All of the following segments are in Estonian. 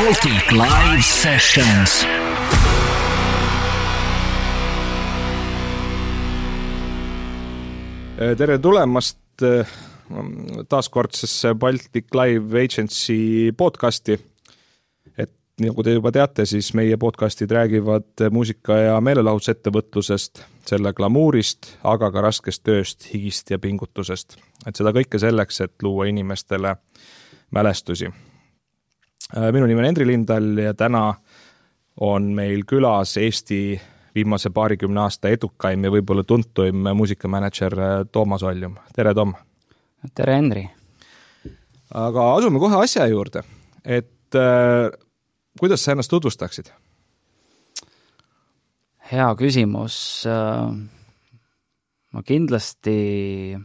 Baltic Live Sessions. Tere tulemast taaskordsesse Baltic Live Agency podcasti. Et nagu te juba teate, siis meie podcastid räägivad muusika- ja meelelahutusettevõtlusest, selle glamuurist, aga ka raskest tööst, higist ja pingutusest. Et seda kõike selleks, et luua inimestele mälestusi. Minu nimi on Endri Lindal ja täna on meil külas Eesti viimase 20 aasta edukaim ja võib-olla tuntuim muusikamanager Toomas Oljum. Tere, Tom! Tere, Henri! Aga asume kohe asja juurde. Et kuidas sa ennast tutvustaksid? Hea küsimus. Ma kindlasti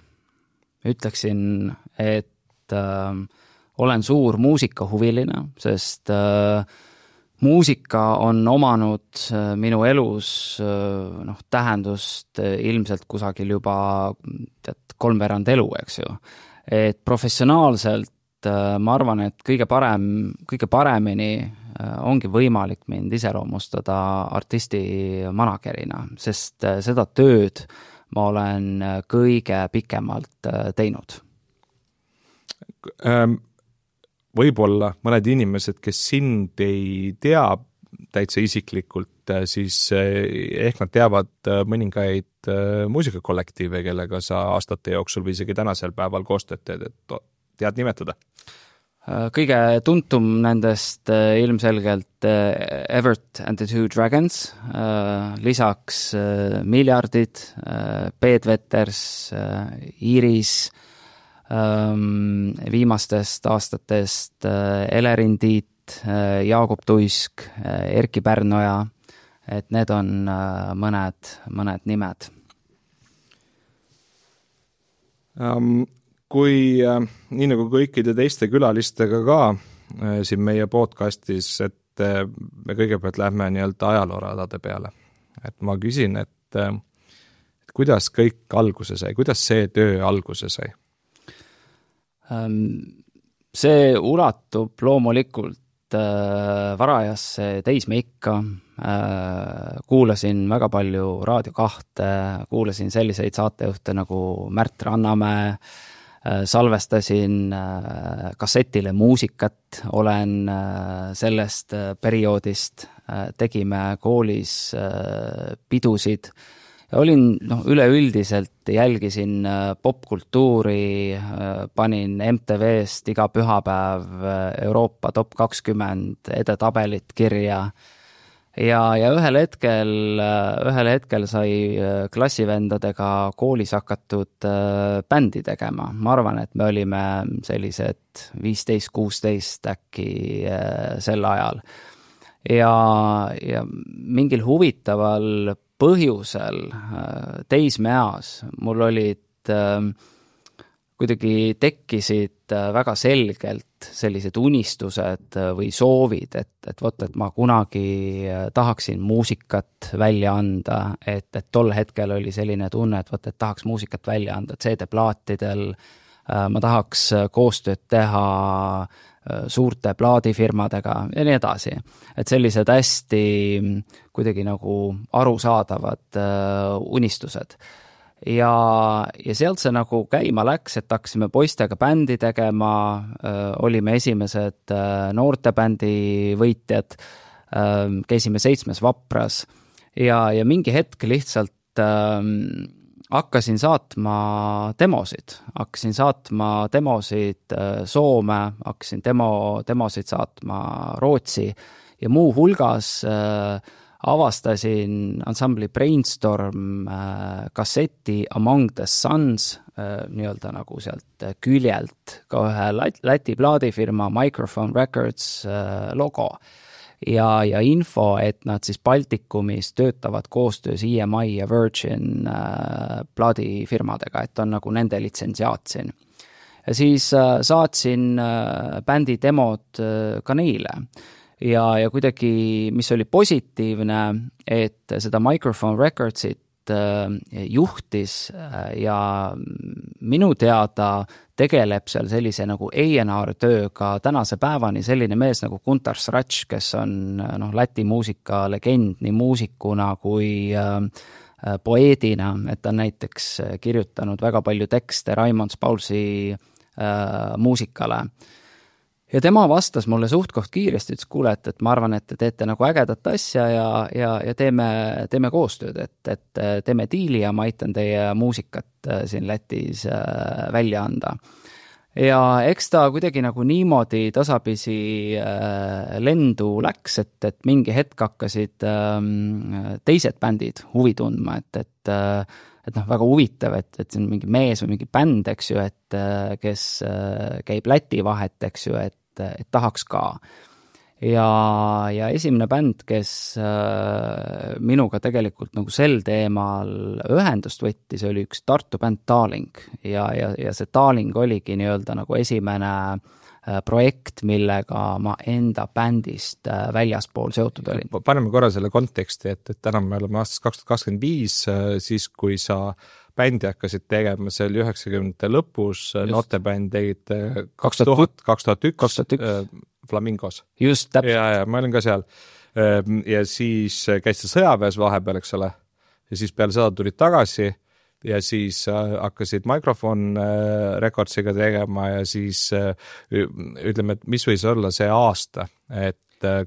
ütleksin, et olen suur muusikahuviline, sest muusika on omanud minu elus tähendust ilmselt kusagil juba 3/4 elu, eks ju. Et professionaalselt ma arvan, et kõige paremini ongi võimalik mind iseloomustada artisti managerina, sest seda tööd ma olen kõige pikemalt teinud. Võib-olla mõned inimesed, kes sind ei tea täitsa isiklikult, siis ehk nad teavad mõningaid muusikakollektiive, kellega sa aastate jooksul või isegi tänasel päeval koostööd teed, et tead nimetada? Kõige tuntum nendest ilmselgelt Evert and the Two Dragons, lisaks Miljardid, Bedwetters, Iris, viimastest aastatest Elerin Tiit, Jaagup Tuisk, Erki Pärnoja, et need on mõned nimed. Kui nii nagu kõikide teiste külalistega ka siin meie podcastis, et me kõigepealt lähme nii-öelda ajalooradade peale. Et ma küsin, et kuidas kõik alguse sai, kuidas see töö alguse sai? See ulatub loomulikult varajasse teismeikka, kuulasin väga palju Raadio 2, kuulasin selliseid saatejuhte nagu Märt Rannamäe, salvestasin kassetile muusikat, olen sellest perioodist, tegime koolis pidusid, olin üleüldiselt jälgisin popkultuuri, panin MTV-st iga pühapäev Euroopa top 20 edetabelit kirja ja ühel hetkel sai klassivendadega koolis hakatud bändi tegema. Ma arvan, et me olime sellised 15-16 äkki sel ajal. Ja mingil huvitaval põhjusel teismeeas mul olid kuidagi tekkisid väga selgelt sellised unistused või soovid, et ma kunagi tahaksin muusikat välja anda, et tol hetkel oli selline tunne, et tahaks muusikat välja anda CD-plaatidel, ma tahaks koostööd teha suurte plaadifirmadega ja nii edasi. Et sellised hästi kuidagi nagu arusaadavad unistused. Ja sealt see nagu käima läks, et hakkasime poistega bändi tegema, olime esimesed noortebändi võitjad, käisime 7 Vapras ja mingi hetk lihtsalt hakkasin saatma demosid Soome, hakkasin demosid saatma Rootsi ja muu hulgas avastasin ansambli Brainstorm kasseti Among the Suns, nii-öelda nagu sealt küljelt ka ühe Läti plaadifirma Microphone Records logo. Ja info, et nad siis Baltikumis töötavad koostöös EMI ja Virgin plaadifirmadega, et on nagu nende litsentsiaat siin. Ja siis saatsin bändi demod ka neile. Ja kuidagi, mis oli positiivne, et seda Microphone Recordsit juhtis ja minu teada tegeleb seal sellise nagu A&R tööga tänase päevani selline mees nagu Guntar Srač, kes on Läti muusika legend nii muusikuna kui poeedina, et ta on näiteks kirjutanud väga palju tekste Raimond Paulsi muusikale. Ja tema vastas mulle suht koht kiiresti, ütles, kuule, et ma arvan, et te teete nagu ägedat asja ja teeme koostööd, et teeme diili ja ma aitan teie muusikat siin Lätis välja anda. Ja eks ta kuidagi nagu niimoodi tasapisi lendu läks, et mingi hetk hakkasid teised bändid huvi tundma, et väga huvitav, et see on mingi mees või mingi bänd, eks ju, et kes käib Läti vahet, eks ju, et tahaks ka. Ja esimene bänd, kes minuga tegelikult nagu sel teemal ühendust võttis, oli üks Tartu bänd Taaling ja see Taaling oligi nii-öelda nagu esimene projekt, millega ma enda bändist väljaspool seotud olin. Paneme korra selle konteksti, et täna me oleme aastas 2025, siis kui sa bändi hakkasid tegema, see oli 90-te lõpus, noortebänd tegid 2001 Flamingos. Just, täpselt. Ja ma olin ka seal. Ja siis käisid sõjaväes vahepeal, eks ole, ja siis peale seda tulid tagasi ja siis hakkasid Microphone Recordsiga tegema ja siis ütleme, et mis võis olla see aasta, et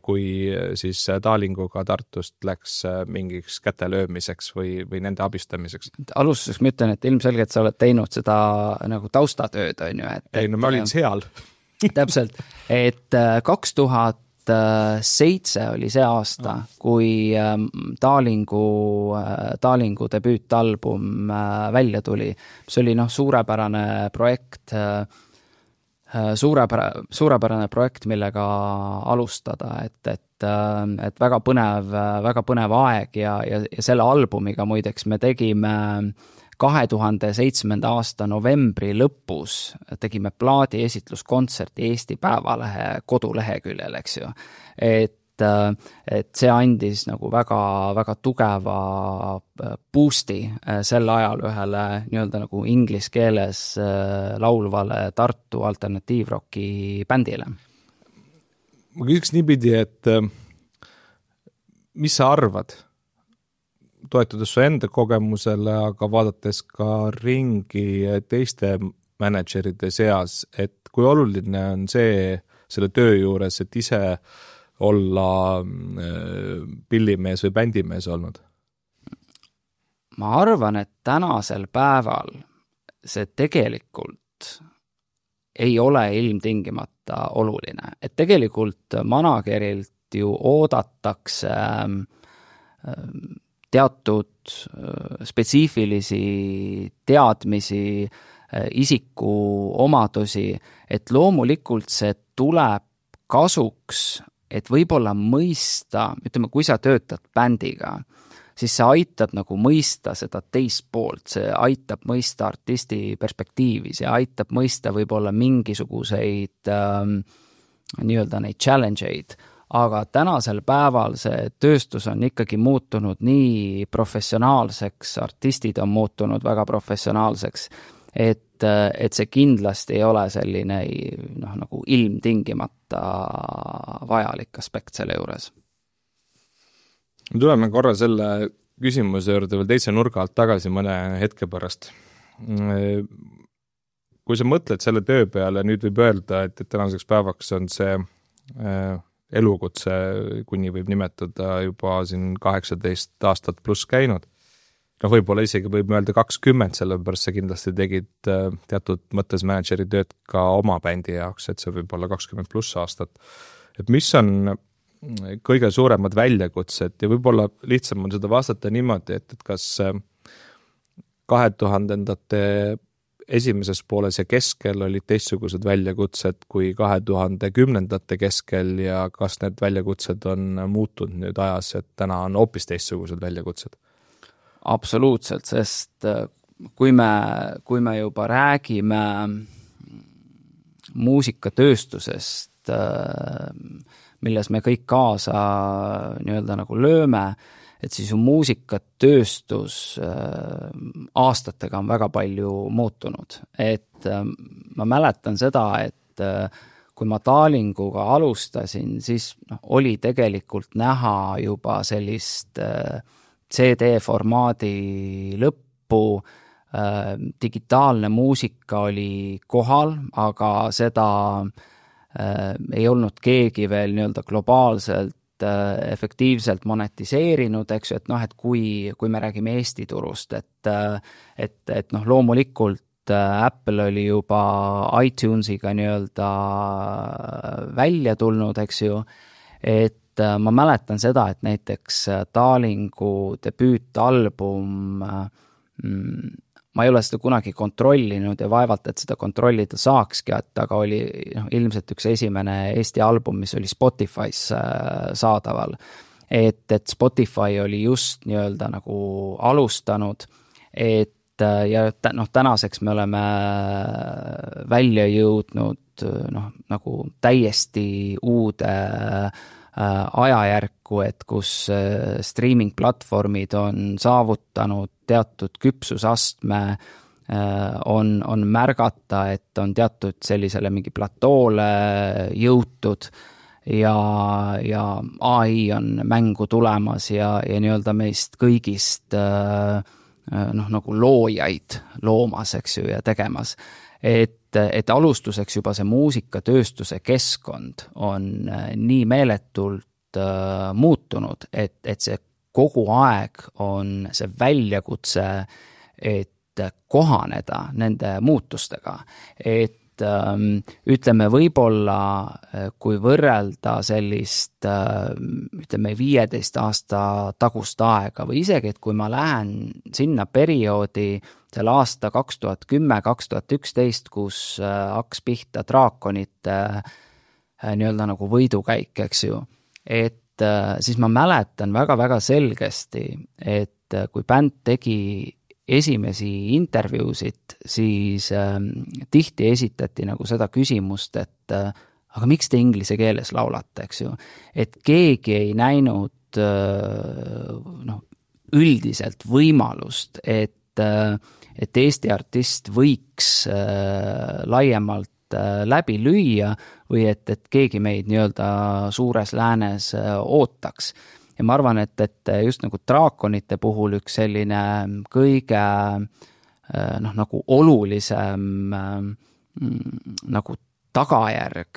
kui siis Taalinguga Tartust läks mingiks kätelöömiseks või nende abistamiseks. Alustuseks ma ütlen, et ilmselgelt sa oled teinud seda nagu taustatööd, on ju. Ei, no ma olin seal. Täpselt, et 2007 oli see aasta, kui Taalingu debüütalbum välja tuli. See oli suurepärane projekt, suurepärane projekt, millega alustada, et väga põnev aeg ja selle albumiga muideks me tegime 2007. aasta novembri lõpus tegime plaadi esitluskontserti Eesti Päevalehe koduleheküljel, eks ju. Et see andis nagu väga tugeva boost'i sel ajal ühele nii-öelda nagu inglise keeles laulvale Tartu alternatiivroki bändile. Ma küsiks niipidi, et mis sa arvad, toetudes su enda kogemusele, aga vaadates ka ringi teiste manageride seas, et kui oluline on selle töö juures, et ise olla pillimees või bändimees olnud? Ma arvan, et tänasel päeval see tegelikult ei ole ilmtingimata oluline. Et tegelikult managerilt ju oodatakse teatud spetsiifilisi teadmisi, isiku omadusi, et loomulikult see tuleb kasuks, et võib-olla mõista, ütleme, kui sa töötad bändiga, siis see aitab nagu mõista seda teist poolt, see aitab mõista artisti perspektiivi, see aitab mõista võib-olla mingisuguseid nii-öelda neid challenge'id, aga tänasel päeval see tööstus on ikkagi muutunud nii professionaalseks, artistid on muutunud väga professionaalseks, et see kindlasti ei ole selline nagu ilmtingimata vajalik aspekt selle juures. Me tuleme korra selle küsimuse juurde veel teise nurga alt tagasi mõne hetke pärast. Kui sa mõtled selle töö peale, nüüd võib öelda, et tänaseks päevaks on see elukutse, kuni võib nimetada juba siin 18 aastat pluss käinud. Võib-olla isegi võib öelda 20, sellepärast sa kindlasti tegid teatud mõttes manageri tööd ka oma bändi jaoks, et see võib olla 20 pluss aastat. Et mis on kõige suuremad väljakutsed ja võib-olla lihtsam on seda vastata niimoodi, et kas 2000-ndate esimeses pooles ja keskel olid teistsugused väljakutsed kui 2010-ndate keskel ja kas need väljakutsed on muutunud nüüd ajas, et täna on hoopis teistsugused väljakutsed? Absoluutselt, sest kui me juba räägime muusikatööstusest, milles me kõik kaasa nii-öelda nagu lööme, et siis ju muusikatööstus aastatega on väga palju muutunud. Et ma mäletan seda, et kui ma Talinguga alustasin, siis oli tegelikult näha juba sellist CD-formaadi lõppu, digitaalne muusika oli kohal, aga seda ei olnud keegi veel nii-öelda globaalselt efektiivselt monetiseerinud, eks ju, et kui me räägime Eesti turust, et loomulikult Apple oli juba iTunesiga nii-öelda välja tulnud, eks ju, et ma mäletan seda, et näiteks Talingu debüütalbum, ma ei ole seda kunagi kontrollinud ja vaevalt, et seda kontrollida saakski, aga oli ilmselt üks esimene Eesti album, mis oli Spotify's saadaval. Et Spotify oli just nii-öelda nagu alustanud, ja tänaseks me oleme välja jõudnud nagu täiesti uude ajajärku, et kus streaming-platvormid on saavutanud teatud küpsusastme, on märgata, et on teatud sellisele mingi platoole jõutud ja AI on mängu tulemas ja nii-öelda meist kõigist nagu loojaid loomas, eks ju, ja tegemas. Et alustuseks juba see muusikatööstuse keskkond on nii meeletult muutunud, et see kogu aeg on see väljakutse, et kohaneda nende muutustega. Et ütleme võib-olla, kui võrrelda sellist, ütleme 15 aasta tagust aega või isegi, et kui ma lähen sinna perioodi selle aasta 2010-2011, kus hakkas pihta draakonite nii-öelda nagu võidukäik, eks ju, et siis ma mäletan väga-väga selgesti, et kui bänd tegi esimesi intervjuusid, siis tihti esitati nagu seda küsimust, et aga miks te inglise keeles laulate, eks ju, et keegi ei näinud üldiselt võimalust, et Eesti artist võiks laiemalt läbi lüüa või et keegi meid nii-öelda suures läänes ootaks. Ja ma arvan, et just nagu draakonite puhul üks selline kõige nagu olulisem nagu tagajärg,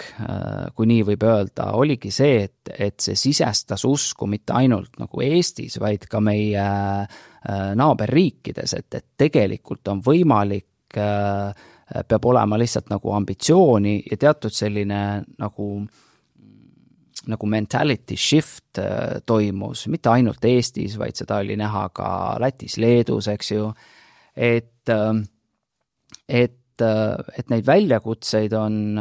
kui nii võib öelda, oligi see, et see sisestas usku mitte ainult nagu Eestis, vaid ka meie naaberriikides, et tegelikult on võimalik, peab olema lihtsalt nagu ambitsiooni ja teatud selline nagu mentality shift toimus, mitte ainult Eestis, vaid seda oli näha ka Lätis, Leedus, eks ju, et neid väljakutseid on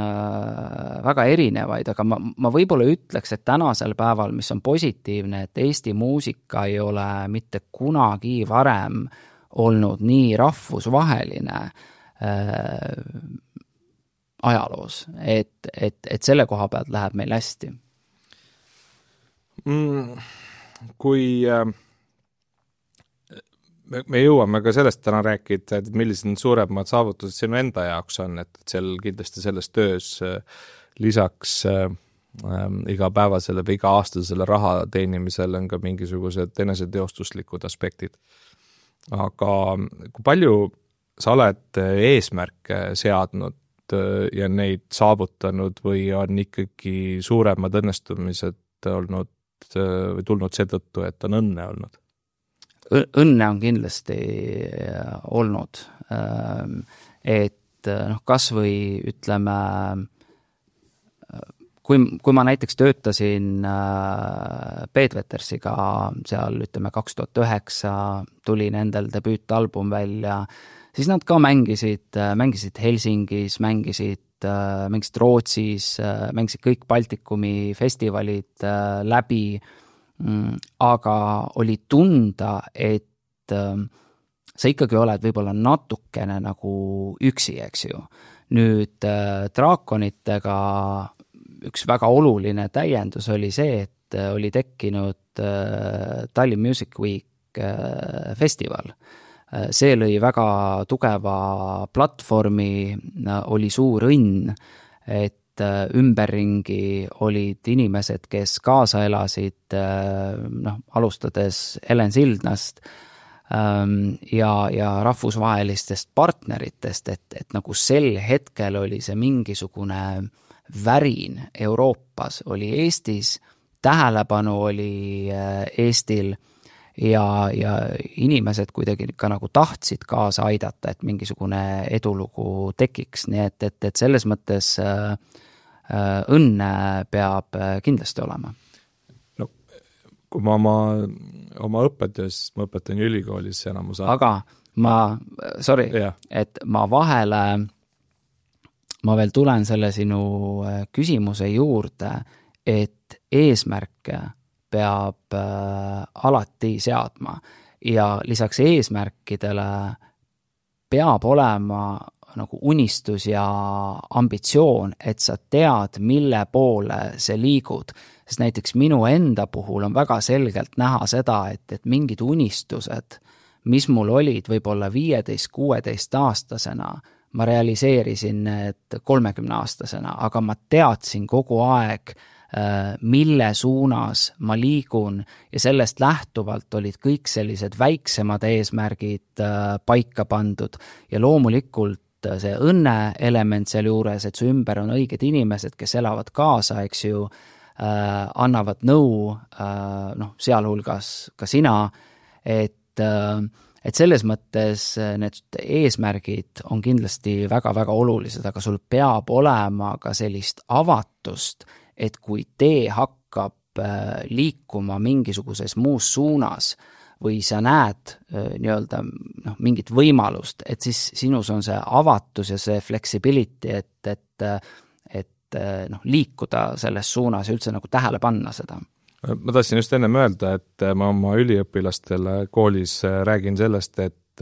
väga erinevaid, aga ma võib-olla ütleks, et tänasel päeval, mis on positiivne, et Eesti muusika ei ole mitte kunagi varem olnud nii rahvusvaheline ajaloos, et selle koha pealt läheb meil hästi. Kui me jõuame ka sellest täna rääkida, et millised on suuremad saavutused sinu enda jaoks on, et seal kindlasti selles töös lisaks igapäevasele või iga-aastasele raha teenimisele on ka mingisugused eneseteostuslikud aspektid. Aga kui palju sa oled eesmärke seadnud ja neid saavutanud või on ikkagi suuremad õnnestumised olnud või tulnud seetõttu, et on õnne olnud? Õnne on kindlasti olnud, et kas või ütleme, kui ma näiteks töötasin Bedwetersiga seal, ütleme 2009 tuli nendel debüütalbum välja, siis nad ka mängisid Helsingis, mängisid Rootsis, mängisid kõik Baltikumi festivalid läbi, aga oli tunda, et sa ikkagi oled võib-olla natukene nagu üksi, eks ju. Nüüd draakonitega üks väga oluline täiendus oli see, et oli tekkinud Tallinn Music Week festival. See lõi väga tugeva platvormi, oli suur õnn, et ümberringi olid inimesed, kes kaasa elasid, alustades Helen Sildnast ja rahvusvahelistest partneritest, et nagu sel hetkel oli see mingisugune värin Euroopas, oli Eestis, tähelepanu oli Eestil ja inimesed kuidagi ka nagu tahtsid kaasa aidata, et mingisugune edulugu tekiks, nii et selles mõttes õnne peab kindlasti olema. No, kui ma oma õpetajast, ma õpetan ülikoolis enamus aga et ma vahele, ma veel tulen selle sinu küsimuse juurde, et eesmärke peab alati seadma ja lisaks eesmärkidele peab olema nagu unistus ja ambitsioon, et sa tead, mille poole see liigud. Sest näiteks minu enda puhul on väga selgelt näha seda, et mingid unistused, mis mul olid võib-olla 15-16 aastasena, ma realiseerisin need 30-aastasena, aga ma teadsin kogu aeg, mille suunas ma liigun ja sellest lähtuvalt olid kõik sellised väiksemad eesmärgid paika pandud ja loomulikult see õnne element seal juures, et su ümber on õiged inimesed, kes elavad kaasa, eks ju, annavad nõu, sealhulgas ka sina, et selles mõttes need eesmärgid on kindlasti väga-väga olulised, aga sul peab olema ka sellist avatust, et kui tee hakkab liikuma mingisuguses muus suunas või sa näed mingit võimalust, et siis sinus on see avatus ja see flexibility, et liikuda selles suunas ja üldse nagu tähele panna seda. Ma tahtsin just ennem öelda, et ma oma üliõpilastele koolis räägin sellest, et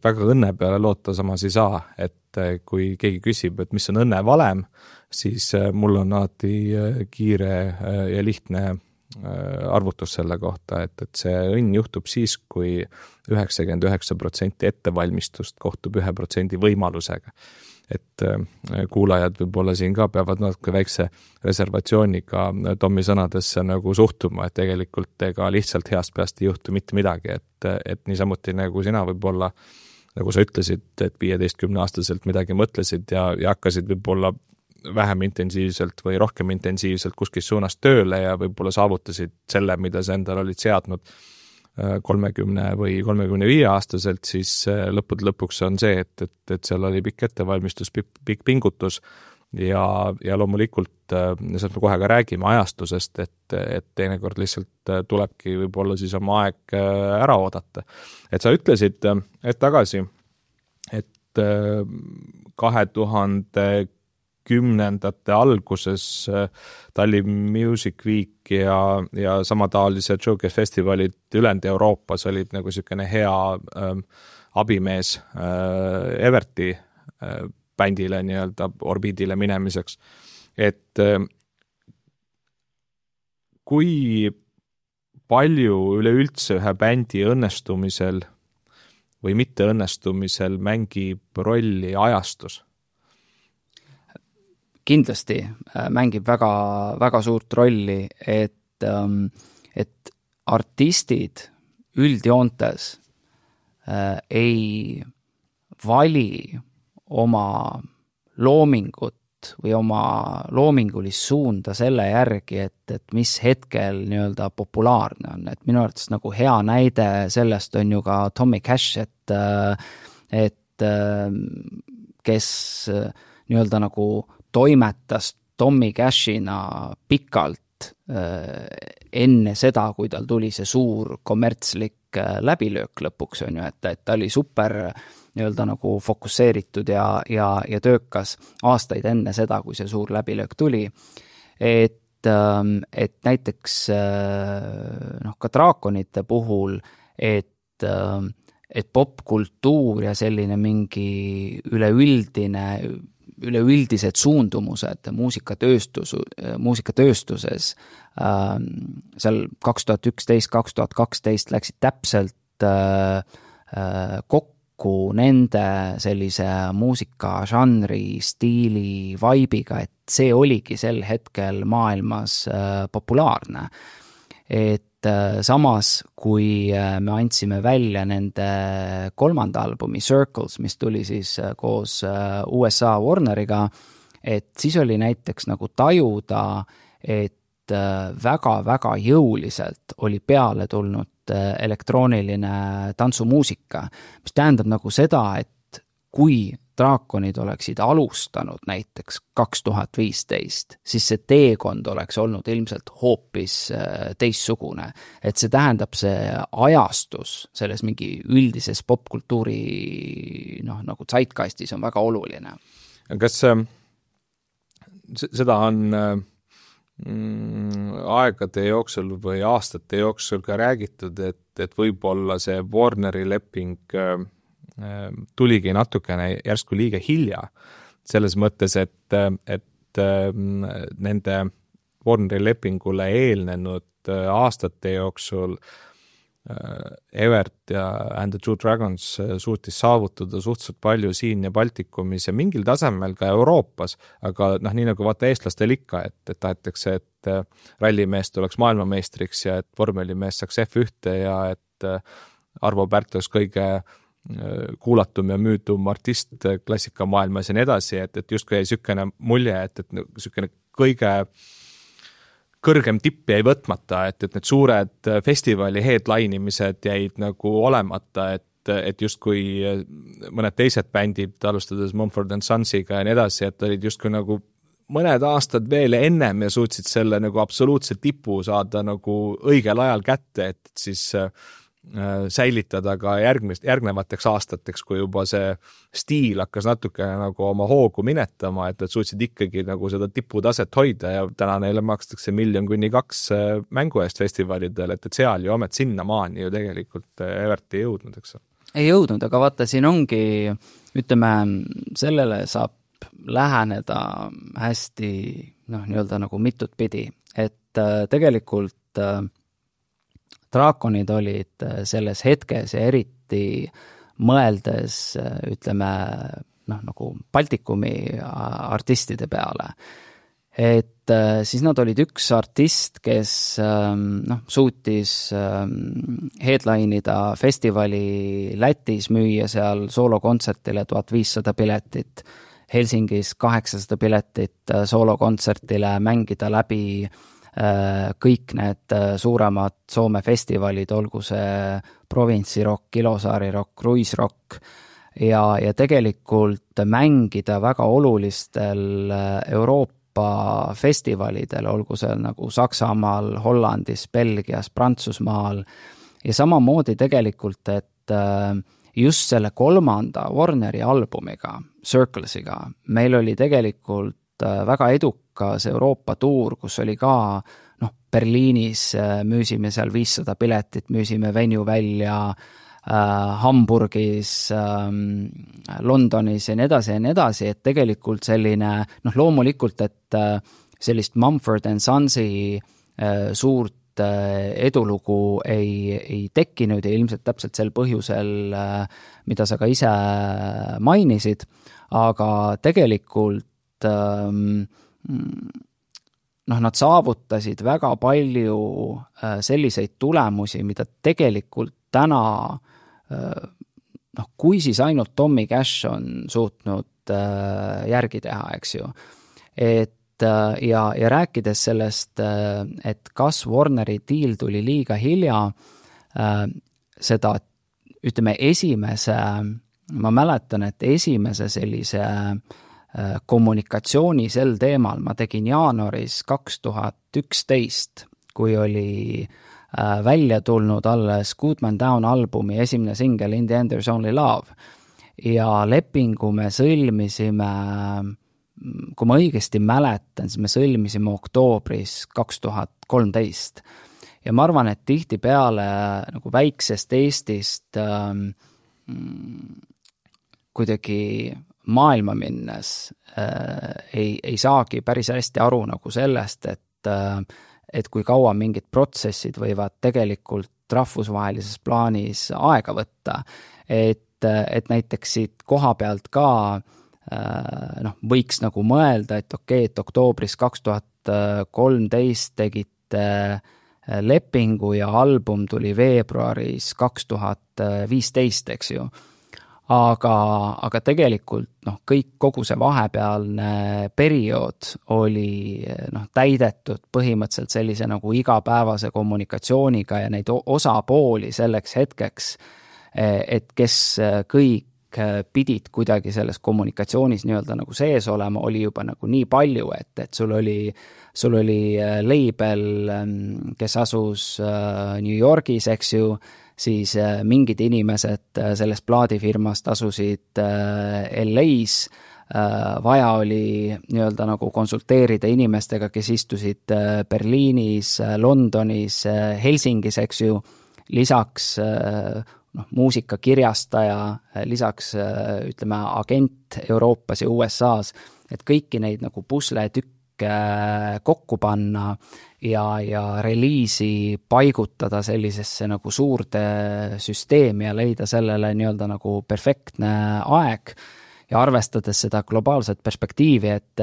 väga õnne peale loota samas ei saa, et kui keegi küsib, et mis on õnne valem, siis mul on alati kiire ja lihtne arvutus selle kohta, et see õnn juhtub siis, kui 99% ettevalmistust kohtub 1% võimalusega. Et kuulajad võib-olla siin ka peavad natuke väikse reservatsiooniga Tommi sõnadesse nagu suhtuma, et tegelikult ega lihtsalt heast peast ei juhtu mitte midagi, et niisamuti nagu sina võib-olla, nagu sa ütlesid, et 15-aastaselt midagi mõtlesid ja hakkasid võib-olla vähem intensiivselt või rohkem intensiivselt kuskil suunas tööle ja võib-olla saavutasid selle, mida sa endal olid seadnud 30 või 35-aastaselt, siis lõpuks on see, et seal oli pikk ettevalmistus, pikk pingutus ja loomulikult sealt me kohe ka räägime ajastusest, et teinekord lihtsalt tulebki võib-olla siis oma aeg ära oodata. Et sa ütlesid tagasi, et 2010ndate alguses Tallinn Music Week ja samataolised showcase festivalid ülejäänud Euroopas olid nagu selline hea abimees Everti bändile nii-öelda orbiidile minemiseks. Et kui palju üleüldse ühe bändi õnnestumisel või mitte õnnestumisel mängib rolli ajastus? Kindlasti mängib väga, väga suurt rolli, et artistid üldjoontes ei vali oma loomingut või oma loomingulist suunda selle järgi, et mis hetkel nii-öelda populaarne on. Et minu arvates nagu hea näide sellest on ju ka Tommy Cash, et kes nii-öelda nagu toimetas Tommy Cashina pikalt enne seda, kui tal tuli see suur kommertslik läbilöök lõpuks on ju, et ta oli super nii-öelda nagu fokusseeritud ja töökas aastaid enne seda, kui see suur läbilöök tuli. Et näiteks ka draakonite puhul, et popkultuur ja selline mingi üleüldine üleüldised suundumused muusikatööstuses seal 2011-2012 läksid täpselt kokku nende sellise muusikažanri, stiili, vaibiga, et see oligi sel hetkel maailmas populaarne. Et samas, kui me andsime välja nende 3. albumi Circles, mis tuli siis koos USA Warneriga, et siis oli näiteks nagu tajuda, et väga-väga jõuliselt oli peale tulnud elektrooniline tantsumuusika, mis tähendab nagu seda, et kui Draakonid oleksid alustanud näiteks 2015, siis see teekond oleks olnud ilmselt hoopis teissugune. Et see tähendab, see ajastus selles mingi üldises popkultuuri nagu zeitgeistis on väga oluline. Kas seda on aegade jooksul või aastate jooksul ka räägitud, et võib-olla see Warneri leping tuligi natukene järsku liiga hilja, selles mõttes, et nende Warneri lepingule eelnenud aastate jooksul Evert ja And the True Dragons suutis saavutada suhteliselt palju siin ja Baltikumis ja mingil tasemel ka Euroopas, aga nii nagu vaata eestlastel ikka, et tahetakse, et rallimees tuleks maailmameistriks ja et vormelimees saaks F1 ja et Arvo Pärt oleks kõige kuulatum ja müüdum artist klassikamaailmas ja nii edasi, et justkui jäi sükene mulje, et sükene kõige kõrgem tipp jäi võtmata, et need suured festivali headline'imised jäid nagu olemata, et justkui mõned teised bändid, alustades Mumford & Sonsiga ja nii edasi, et olid justkui nagu mõned aastad veel ennem ja suutsid selle nagu absoluutse tipu saada nagu õigel ajal kätte, et siis säilitada ka järgnevateks aastateks, kui juba see stiil hakkas natuke nagu oma hoogu minetama, et suutsid ikkagi nagu seda tiputaset hoida ja täna neile makstakse 1 kuni 2 mängu eest festivalidel, et seal ju amet sinnamaani ju tegelikult Evert ei jõudnud, eks? Ei jõudnud, aga vaata, siin ongi, ütleme, sellele saab läheneda hästi, nii-öelda nagu mitut pidi, et tegelikult Draakonid olid selles hetkes ja eriti mõeldes, ütleme, nagu Baltikumi artistide peale. Et siis nad olid üks artist, kes suutis headline'ida festivali Lätis, müüa seal soolokontsertile 1500 piletit, Helsingis 800 piletit soolokontsertile, mängida läbi kõik need suuremad Soome festivalid, olgu see provintsirokk, Kilosaari-rokk, Kruisrokk ja tegelikult mängida väga olulistel Euroopa festivalidel, olgu seal nagu Saksamaal, Hollandis, Belgias, Prantsusmaal ja samamoodi tegelikult, et just selle 3. Warneri albumiga, Circlesiga, meil oli tegelikult väga edukas Euroopa tuur, kus oli ka Berliinis müüsime seal 500 piletit, müüsime venue välja Hamburgis, Londonis ja nii edasi, et tegelikult selline, loomulikult, et sellist Mumford & Sonsi suurt edulugu ei tekkinud ja ilmselt täpselt sel põhjusel, mida sa ka ise mainisid, aga tegelikult nad saavutasid väga palju selliseid tulemusi, mida tegelikult täna, kui siis ainult Tommy Cash on suutnud järgi teha, eks ju. Et ja rääkides sellest, et kas Warneri deal tuli liiga hilja, seda, ütleme, ma mäletan, et esimese sellise kommunikatsiooni sel teemal ma tegin jaanuaris 2011, kui oli välja tulnud alles Goodman Down albumi esimene singel In the End There's Only Love ja lepingu me sõlmisime, kui ma õigesti mäletan, siis me sõlmisime oktoobris 2013 ja ma arvan, et tihtipeale nagu väiksest Eestist kuidagi maailma minnes ei saagi päris hästi aru nagu sellest, et kui kaua mingid protsessid võivad tegelikult rahvusvahelises plaanis aega võtta, et näiteks siit koha pealt ka võiks nagu mõelda, et okei, et oktoobris 2013 tegite lepingu ja album tuli veebruaris 2015, eks ju. Aga tegelikult kogu see vahepealne periood oli täidetud põhimõtteliselt sellise nagu igapäevase kommunikatsiooniga ja neid osapooli selleks hetkeks, et kes kõik pidid kuidagi selles kommunikatsioonis nii-öelda nagu sees olema, oli juba nagu nii palju, et sul oli label, kes asus New Yorgis, eks ju, siis mingid inimesed sellest plaadifirmast asusid LA-s, vaja oli nii-öelda nagu konsulteerida inimestega, kes istusid Berliinis, Londonis, Helsingis, eks ju, lisaks muusikakirjastaja, lisaks ütleme agent Euroopas ja USA-s, et kõiki neid nagu pusletükke kokku panna ja reliisi paigutada sellisesse nagu suurde süsteemi ja leida sellele nii-öelda nagu perfektne aeg ja arvestades seda globaalset perspektiivi, et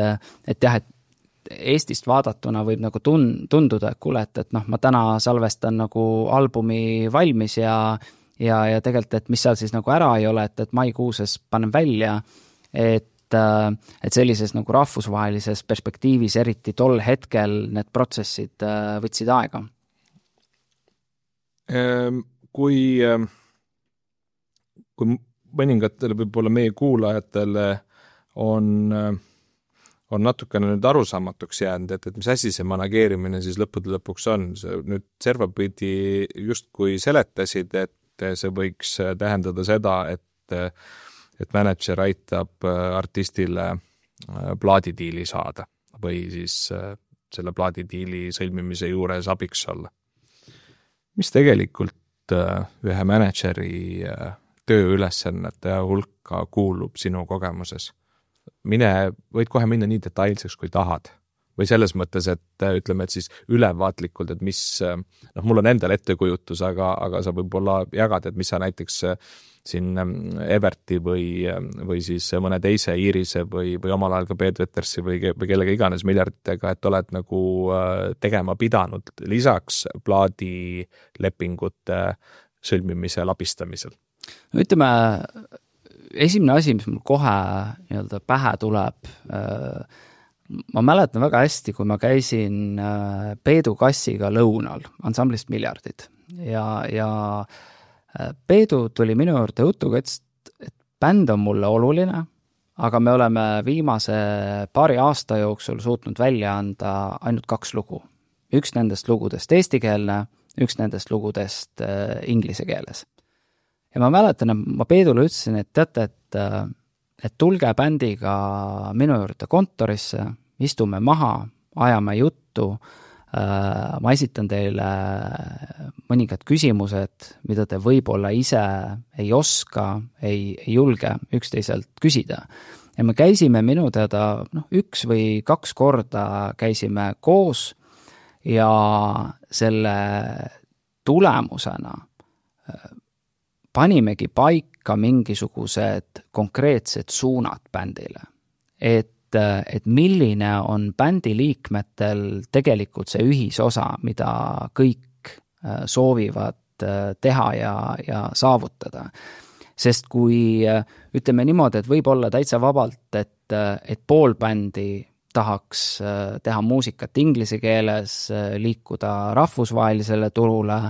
jah, et Eestist vaadatuna võib nagu tunduda, et kuule, et ma täna salvestan nagu albumi valmis ja tegelikult, et mis seal siis nagu ära ei ole, et maikuuses panen välja, et sellises nagu rahvusvahelises perspektiivis, eriti tol hetkel need protsessid võtsid aega. Kui mõningatele võib-olla meie kuulajatele on natukene nüüd arusaamatuks jäänud, et mis asi see manageerimine siis lõppude lõpuks on. Nüüd servapidi just kui seletasid, et see võiks tähendada seda, et manager aitab artistile plaadidiili saada või siis selle plaadidiili sõlmimise juures abiks olla. Mis tegelikult ühe manageri tööülesannete hulka kuulub sinu kogemuses? Võid kohe minna nii detailseks, kui tahad. Või selles mõttes, et ütleme, et siis ülevaatlikult, et mis, mul on endal ettekujutus, aga sa võib-olla jagad, et mis sa näiteks siin Everti või siis mõne teise Iirise või omal ajal ka Peet Vetersi või kellega iganes miljarditega, et oled nagu tegema pidanud lisaks plaadilepingute sõlmimise labistamisel. Ütleme, esimene asi, mis mul kohe nii-öelda pähe tuleb, ma mäletan väga hästi, kui ma käisin Peedu Kassiga lõunal ansamblist Miljardid ja Peedu tuli minu juurde jutuga, et bänd on mulle oluline, aga me oleme viimase paari aasta jooksul suutnud välja anda ainult 2 lugu. Üks nendest lugudest eestikeelne, üks nendest lugudest inglise keeles. Ja ma mäletan, et ma Peedule ütlesin, et teate, et tulge bändiga minu juurde kontorisse, istume maha, ajame juttu, ma esitan teile mõningad küsimused, mida te võib-olla ise ei oska, ei julge üksteiselt küsida. Ja me käisime minu teada 1 või 2 korda käisime koos ja selle tulemusena panimegi paika mingisugused konkreetsed suunad bändile. Et milline on bändi liikmetel tegelikult see ühisosa, mida kõik soovivad teha ja saavutada. Sest kui ütleme niimoodi, et võib olla täitsa vabalt, et pool bändi tahaks teha muusikat inglise keeles, liikuda rahvusvahelisele turule,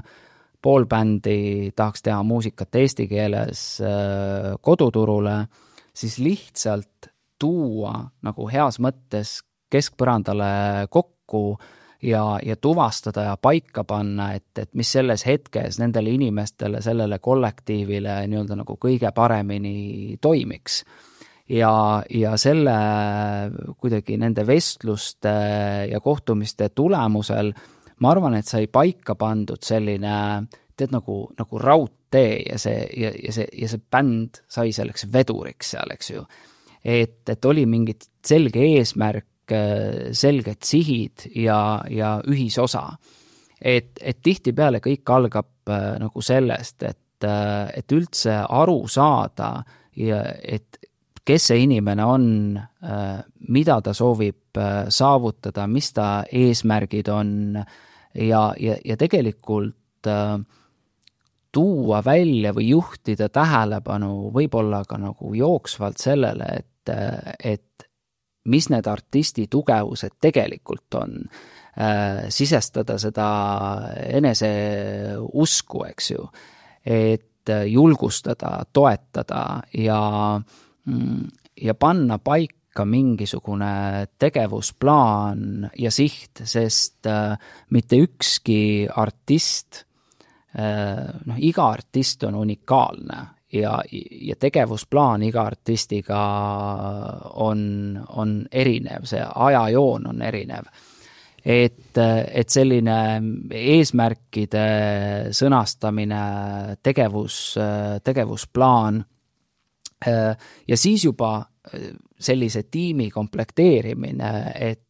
pool bändi tahaks teha muusikat eesti keeles koduturule, siis lihtsalt tuua nagu heas mõttes keskpõrandale kokku ja tuvastada ja paika panna, et mis selles hetkes nendele inimestele, sellele kollektiivile nii-öelda nagu kõige paremini toimiks. Ja selle kuidagi nende vestluste ja kohtumiste tulemusel ma arvan, et sai paika pandud selline nagu raudtee ja see bänd sai selleks veduriks seal, eks ju. et oli mingid selge eesmärk, selged sihid ja ühisosa. Et tihtipeale kõik algab nagu sellest, et üldse aru saada ja et kes see inimene on, mida ta soovib saavutada, mis ta eesmärgid on ja tegelikult tuua välja või juhtida tähelepanu võib-olla ka nagu jooksvalt sellele, et mis need artisti tugevused tegelikult on, sisestada seda enese usku, eks ju, et julgustada, toetada ja panna paika mingisugune tegevusplaan ja siht, sest mitte ükski artist, iga artist on unikaalne ja tegevusplaan iga artistiga on erinev, see ajajoon on erinev. Et selline eesmärkide sõnastamine, tegevusplaan ja siis juba sellise tiimi komplekteerimine, et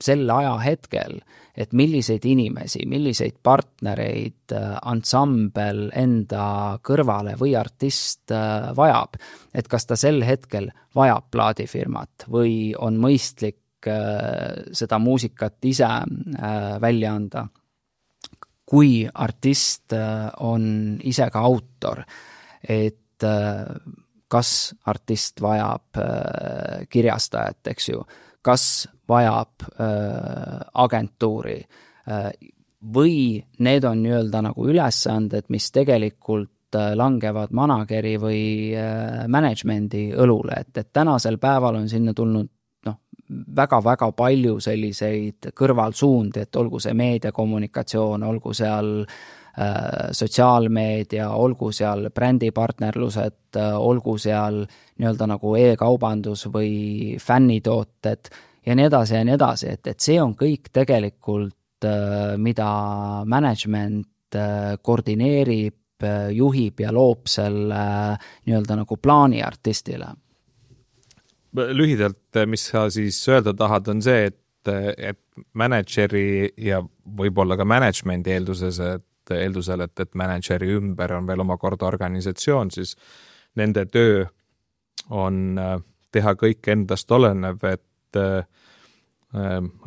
sel ajahetkel, et milliseid inimesi, milliseid partnereid ansambel enda kõrvale või artist vajab, et kas ta sel hetkel vajab plaadifirmat või on mõistlik seda muusikat ise välja anda. Kui artist on ise ka autor, et kas artist vajab kirjastajat, eks ju, kas vajab agentuuri või need on nii-öelda nagu ülesanded, mis tegelikult langevad manageri või managemendi õlule, et tänasel päeval on sinna tulnud väga-väga palju selliseid kõrvalsuundi, et olgu see meediakommunikatsioon, olgu seal sotsiaalmeedia, olgu seal brändipartnerlused, olgu seal nii-öelda nagu e-kaubandus või fännitooted ja nii edasi, et see on kõik tegelikult, mida management koordineerib, juhib ja loob selle nii-öelda nagu plaani artistile. Lühidalt, mis sa siis öelda tahad, on see, et manageri ja võib-olla ka managemendi eeldusel, et manageri ümber on veel omakorda organisatsioon, siis nende töö on teha kõik endast olenev, et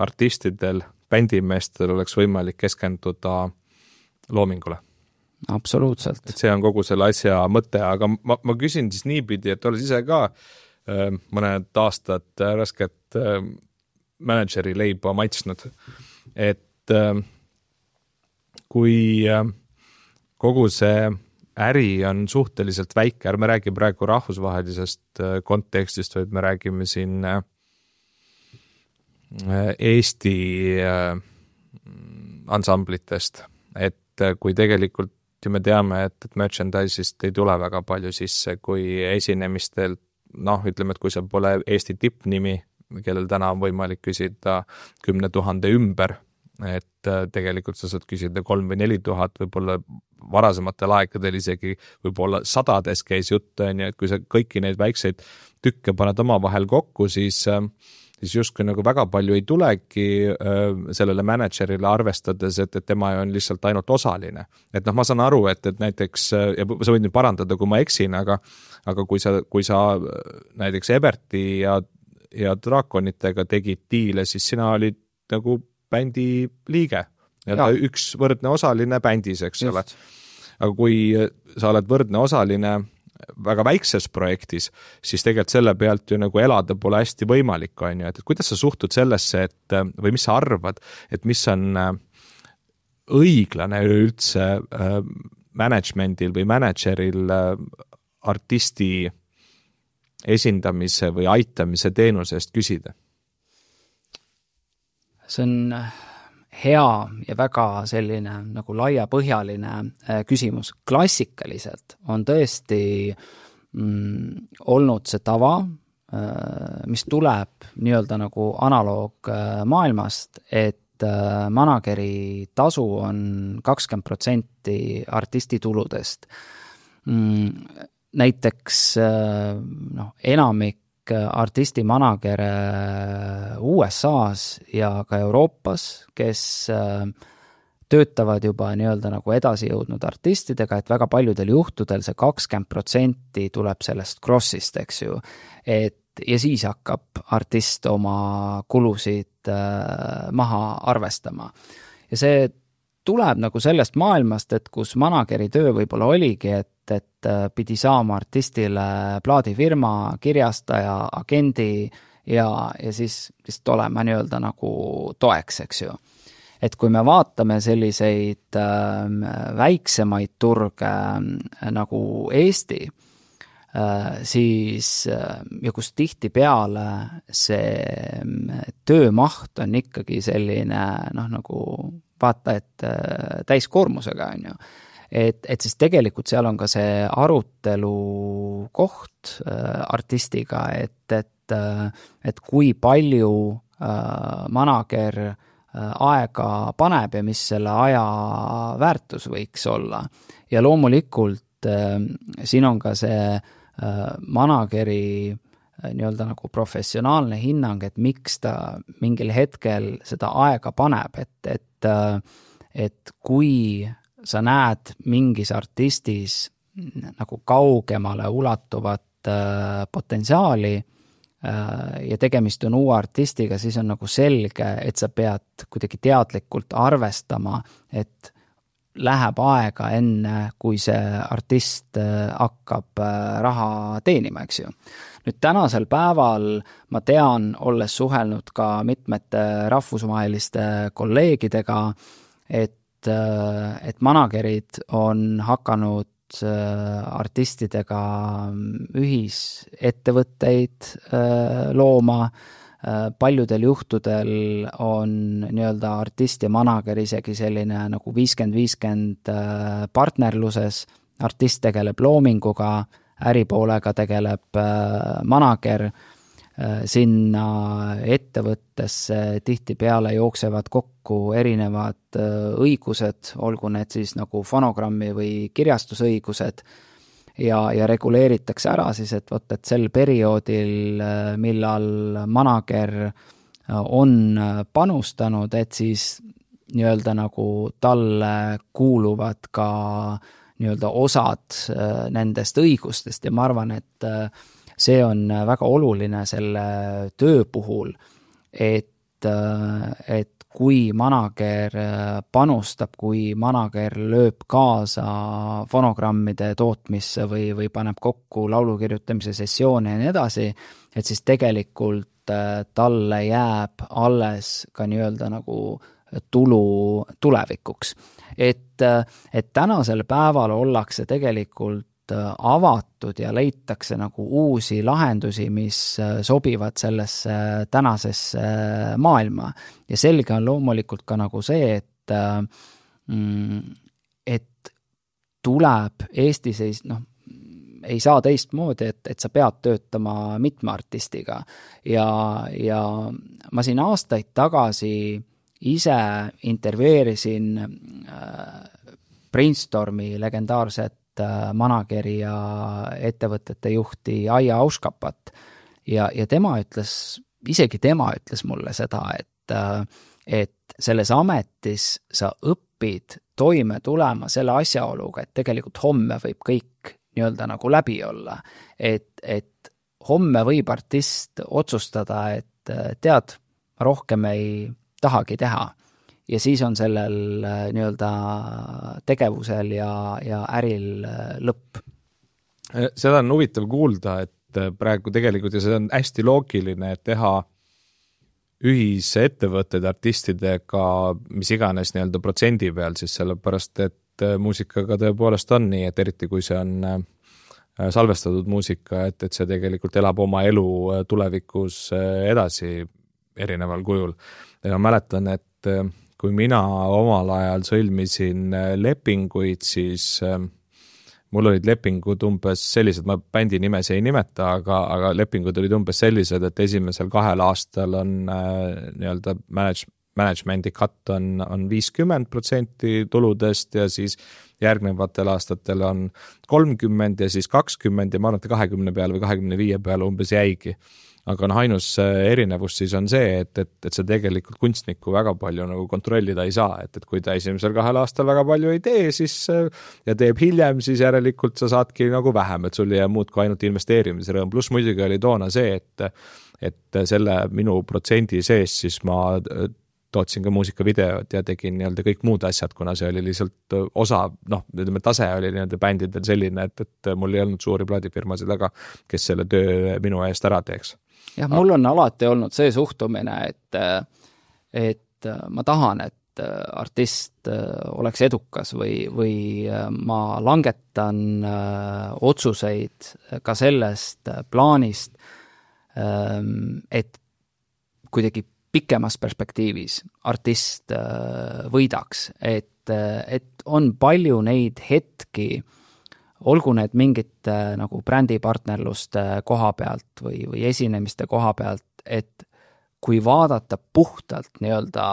artistidel, bändimeestel oleks võimalik keskenduda loomingule. Absoluutselt. Et see on kogu selle asja mõte, aga ma küsin siis niipidi, et olles ise ka mõned aastad rasket manageri leiba maitsnud, et kui kogu see äri on suhteliselt väike, ärme räägi praegu rahvusvahelisest kontekstist, vaid me räägime siin Eesti ansamblitest, et kui tegelikult ju me teame, et merchandise'ist ei tule väga palju sisse, kui esinemistel ütleme, et kui seal pole Eesti tippnimi, kellel täna on võimalik küsida 10 000 ümber, et tegelikult sa saad küsida 3 või 4 000, võib-olla varasematel aegadel isegi võib-olla sadades käis jutt, et kui sa kõiki neid väikseid tükke paned omavahel kokku, siis justkui nagu väga palju ei tulegi sellele managerile arvestades, et tema on lihtsalt ainult osaline. Et ma saan aru, et näiteks, ja sa võid nüüd parandada, kui ma eksin, aga kui sa näiteks Eberti ja Draakonitega tegid diile, siis sina olid nagu bändi liige. Üks võrdne osaline bändis, eks ole. Aga kui sa oled võrdne osaline väga väikses projektis, siis tegelikult selle pealt ju nagu elada pole hästi võimalik, on ju, et kuidas sa suhtud sellesse, või mis sa arvad, et mis on õiglane üldse managementil või manageril artisti esindamise või aitamise teenuse eest küsida? See on hea ja väga selline nagu laiapõhjaline küsimus. Klassikaliselt on tõesti olnud see tava, mis tuleb nii-öelda nagu analoog maailmast, et manageri tasu on 20% artisti tuludest. Näiteks enamik artisti managere USA-s ja ka Euroopas, kes töötavad juba nii-öelda nagu edasi jõudnud artistidega, et väga paljudel juhtudel see 20% tuleb sellest crossist, eks ju. Ja siis hakkab artist oma kulusid maha arvestama. Ja see tuleb nagu sellest maailmast, et kus manageri töö võib-olla oligi, et pidi saama artistile plaadifirma, kirjastaja, agendi ja siis olema nii-öelda nagu toeks, eks ju. Et kui me vaatame selliseid väiksemaid turge nagu Eesti, siis ja kus tihtipeale see töömaht on ikkagi selline nagu vaata, et täiskoormusega on ju. Et siis tegelikult seal on ka see arutelu koht artistiga, et kui palju manager aega paneb ja mis selle aja väärtus võiks olla. Ja loomulikult siin on ka see manageri nii-öelda nagu professionaalne hinnang, et miks ta mingil hetkel seda aega paneb, et kui sa näed mingis artistis nagu kaugemale ulatuvat potentsiaali ja tegemist on uue artistiga, siis on nagu selge, et sa pead kuidagi teadlikult arvestama, et läheb aega enne, kui see artist hakkab raha teenima, eks ju. Nüüd tänasel päeval ma tean, olles suhelnud ka mitmete rahvusvaheliste kolleegidega, et managerid on hakanud artistidega ühisettevõtteid looma, paljudel juhtudel on nii-öelda artist ja manager isegi selline nagu 50-50 partnerluses, artist tegeleb loominguga, äripoolega tegeleb manager, sinna ettevõttesse tihtipeale jooksevad kokku erinevad õigused, olgu need siis nagu fonogrammi või kirjastusõigused ja reguleeritakse ära siis, et sel perioodil, millal manager on panustanud, et siis nii-öelda nagu talle kuuluvad ka nii-öelda osad nendest õigustest ja ma arvan, et see on väga oluline selle töö puhul, et kui manager panustab, kui manager lööb kaasa fonogrammide tootmisse või paneb kokku laulu kirjutamise sessioone ja nii edasi, et siis tegelikult talle jääb alles ka nii-öelda nagu tulu tulevikuks. Et tänasel päeval ollakse tegelikult avatud ja leitakse nagu uusi lahendusi, mis sobivad sellesse tänasesse maailma. Ja selge on loomulikult ka nagu see, et tuleb Eestis ei saa teistmoodi, et sa pead töötama mitme artistiga. Ja ma siin aastaid tagasi ise intervjueerisin Brainstormi legendaarset manageri ja ettevõtete juhti Aija Auskapat ja tema ütles mulle seda, et selles ametis sa õpid toime tulema selle asjaoluga, et tegelikult homme võib kõik nii-öelda nagu läbi olla, et homme võib artist otsustada, et tead, rohkem ei tahagi teha. Ja siis on sellel nii-öelda tegevusel ja äril lõpp. Seda on huvitav kuulda, et praegu tegelikult, ja see on hästi loogiline, et teha ühisettevõtted artistidega, mis iganes nii-öelda protsendi peal, siis sellepärast, et muusikaga tõepoolest on nii, et eriti kui see on salvestatud muusika, et see tegelikult elab oma elu tulevikus edasi erineval kujul. Ja mäletan, et kui mina omal ajal sõlmisin lepinguid, siis mul olid lepingud umbes sellised, ma bändi nimes ei nimeta, aga lepingud olid umbes sellised, et esimesel 2 aastal on nii-öelda management'i cut on 50% tuludest ja siis järgnevatel aastatel on 30 ja siis 20 ja ma arvan, et 20 peale või 25 peale umbes jäigi. Aga ainus erinevus siis on see, et see tegelikult kunstnikku väga palju nagu kontrollida ei saa, et kui ta esimesel 2 aastal väga palju ei tee, siis ja teeb hiljem, siis järelikult sa saadki nagu vähem, et sul ei jää muud kui ainult investeerimise rõõm. Pluss muidugi oli toona see, et selle minu protsendi sees siis ma tootsin ka muusikavideod ja tegin nii-öelda kõik muud asjad, kuna see oli lihtsalt osa, tase oli nii-öelda bändidel selline, et mul ei olnud suuri plaadifirmasid taga, kes selle töö minu eest ära teeks. Jah, mul on alati olnud see suhtumine, et ma tahan, et artist oleks edukas või ma langetan otsuseid ka sellest plaanist, et kuidagi pikemas perspektiivis artist võidaks, et on palju neid hetki, olgu need mingite nagu brändipartnerluste koha pealt või esinemiste koha pealt, et kui vaadata puhtalt nii-öelda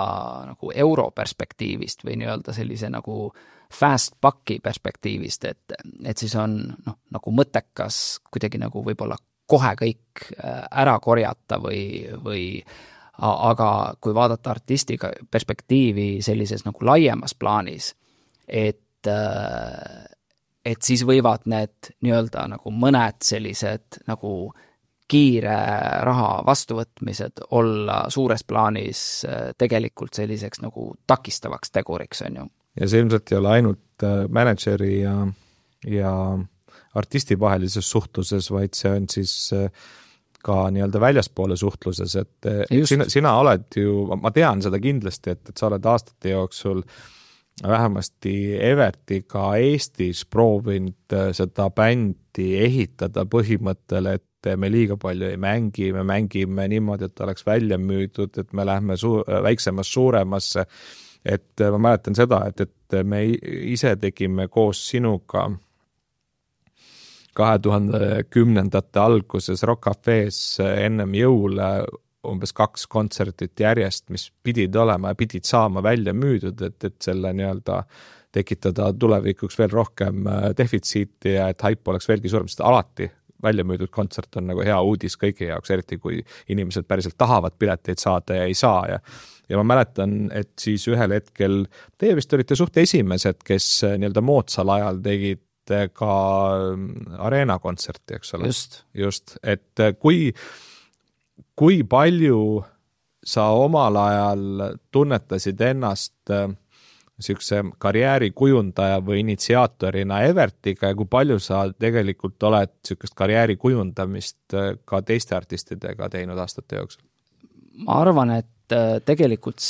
nagu euro perspektiivist või nii-öelda sellise nagu fast bucki perspektiivist, et siis on nagu mõttekas kuidagi nagu võib-olla kohe kõik ära korjata või aga kui vaadata artistiga perspektiivi sellises nagu laiemas plaanis, et siis võivad need nii-öelda nagu mõned sellised nagu kiire raha vastuvõtmised olla suures plaanis tegelikult selliseks nagu takistavaks teguriks, on ju. Ja see ilmselt ei ole ainult manageri ja artisti vahelises suhtluses, vaid see on siis ka nii-öelda väljaspoole suhtluses, et sina oled ju, ma tean seda kindlasti, et sa oled aastate jooksul vähemasti Evertiga Eestis proovinud seda bändi ehitada põhimõttele, et me liiga palju ei mängi, me mängime niimoodi, et oleks välja müüdud, et me lähme väiksemast suuremasse, et ma mäletan seda, et me ise tegime koos sinuga 2010. alguses Rock Cafe's ennem jõule umbes 2 kontsertit järjest, mis pidid olema ja pidid saama välja müüdud, et selle nii-öelda tekitada tulevikuks veel rohkem defitsiiti ja et hype oleks veelgi suurem, sest alati välja müüdud kontsert on nagu hea uudis kõigi jaoks, eriti kui inimesed päriselt tahavad pileteid saada ja ei saa ja ma mäletan, et siis ühel hetkel teie vist olite suht esimesed, kes nii-öelda moodsal ajal tegid ka Arena kontserti, eks ole? Just, et kui palju sa omal ajal tunnetasid ennast niisuguse karjääri kujundaja või initsiaatorina Evertiga ja kui palju sa tegelikult oled niisugust karjääri kujundamist ka teiste artistidega teinud aastate jooksul? Ma arvan, et tegelikult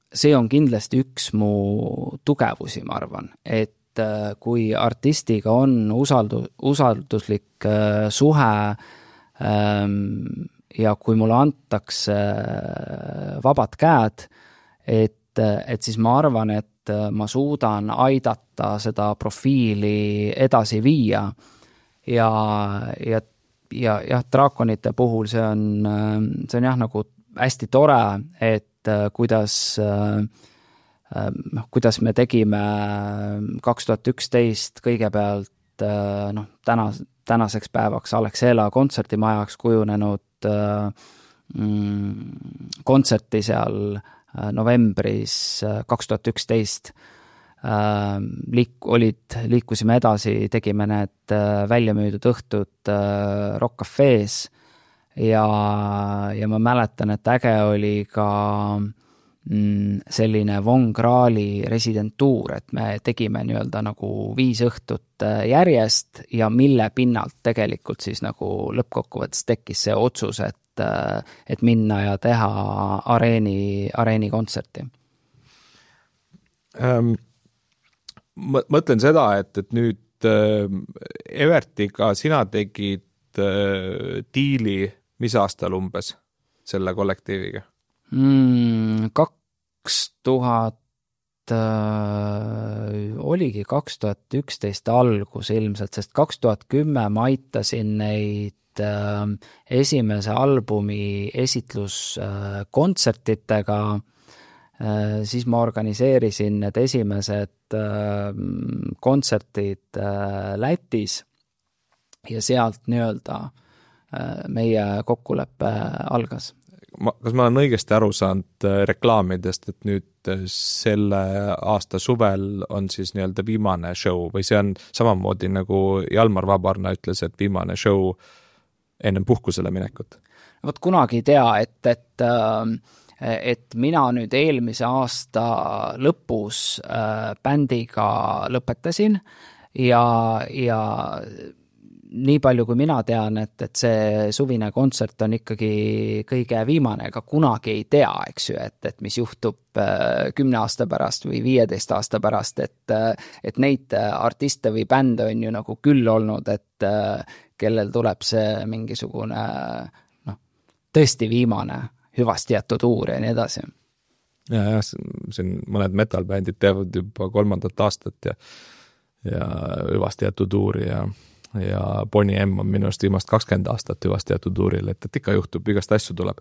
see on kindlasti üks mu tugevusi, ma arvan, et kui artistiga on usalduslik suhe ja kui mulle antakse vabad käed, et siis ma arvan, et ma suudan aidata seda profiili edasi viia ja jah, Draakonite puhul see on jah nagu hästi tore, et kuidas me tegime 2011 kõigepealt tänaseks päevaks Alexela kontsertimajaks kujunenud kontserti seal novembris 2011 liikusime edasi, tegime need väljamüüdud õhtud Rock Cafe's ja ma mäletan, et äge oli ka selline Von Krahli residentuur, et me tegime nii-öelda nagu 5 õhtut järjest ja mille pinnalt tegelikult siis nagu lõppkokkuvõttes tekkis see otsus, et minna ja teha areeni kontserti. Mõtlen seda, et nüüd Evertiga sina tegid diili mis aastal umbes selle kollektiiviga? 2011 algus ilmselt, sest 2010 ma aitasin neid esimese albumi esitluskontsertidega, siis ma organiseerisin need esimesed kontsertid Lätis ja sealt nii-öelda meie kokkuleppe algas. Kas ma olen õigesti aru saanud reklaamidest, et nüüd selle aasta suvel on siis nii-öelda viimane show või see on samamoodi nagu Jalmar Vabarna ütles, et viimane show ennem puhkusele minekut? Vot kunagi ei tea, et mina nüüd eelmise aasta lõpus bändiga lõpetasin ja nii palju, kui mina tean, et see suvine kontsert on ikkagi kõige viimane, ega kunagi ei tea, eks ju, et mis juhtub 10 aasta pärast või 15 aasta pärast, et neid artiste või bände on ju nagu küll olnud, et kellel tuleb see mingisugune tõesti viimane hüvasti jätud tuur ja nii edasi. Ja, siin mõned metalbändid teevad juba 3. aastat ja hüvasti jätud tuuri ja Bonnie M on minu arust viimast 20 aastat hüvasti jätud tuuril, et ikka juhtub, igast asju tuleb.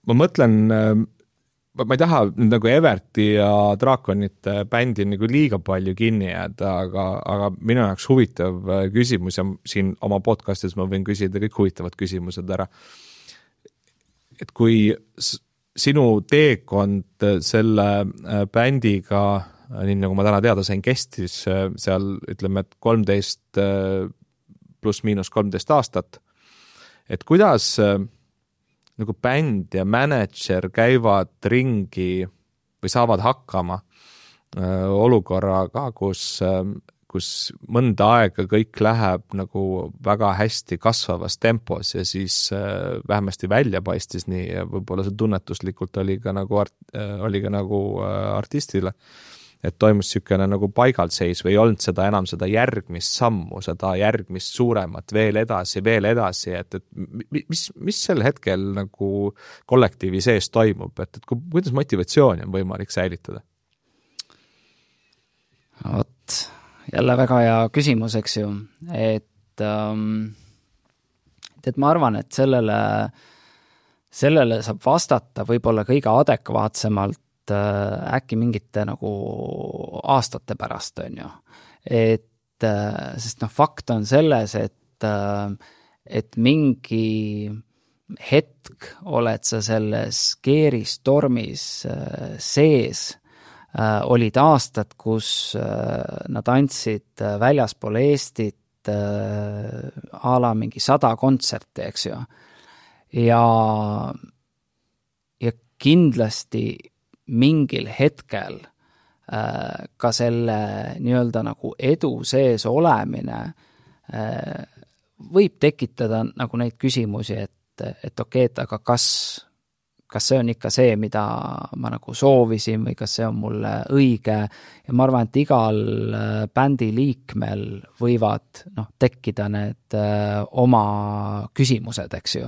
Ma mõtlen, ma ei taha nagu Everti ja Drakonite bändi nagu liiga palju kinni jääda, aga minu jaoks huvitav küsimus ja siin oma podcastis ma võin küsida kõik huvitavad küsimused ära. Et kui sinu teekond selle bändiga nii nagu ma täna teada sain, kestis seal, ütleme, et 13 pluss miinus 13 aastat, et kuidas nagu bänd ja mänedžer käivad ringi või saavad hakkama olukorraga, kus mõnda aega kõik läheb nagu väga hästi kasvavas tempos ja siis vähemasti välja paistis nii ja võib-olla see tunnetuslikult oli ka nagu artistile, et toimus niisugune nagu paigalseis või ei olnud seda enam seda järgmist sammu, seda järgmist suuremat veel edasi, et mis sel hetkel nagu kollektiivi sees toimub, et kuidas motivatsiooni on võimalik säilitada? Vot, jälle väga hea küsimus, eks ju, et ma arvan, et sellele saab vastata võib-olla kõige adekvaatsemalt äkki mingite nagu aastate pärast, on ju. Sest fakt on selles, et mingi hetk oled sa selles keeristormis sees, olid aastad, kus nad andsid väljaspool Eestit a la mingi 100 kontserti, eks ju. Ja kindlasti mingil hetkel ka selle nii-öelda nagu edu sees olemine võib tekitada nagu neid küsimusi, et okei, aga kas see on ikka see, mida ma nagu soovisin või kas see on mulle õige ja ma arvan, et igal bändi liikmel võivad tekkida need oma küsimused, eks ju.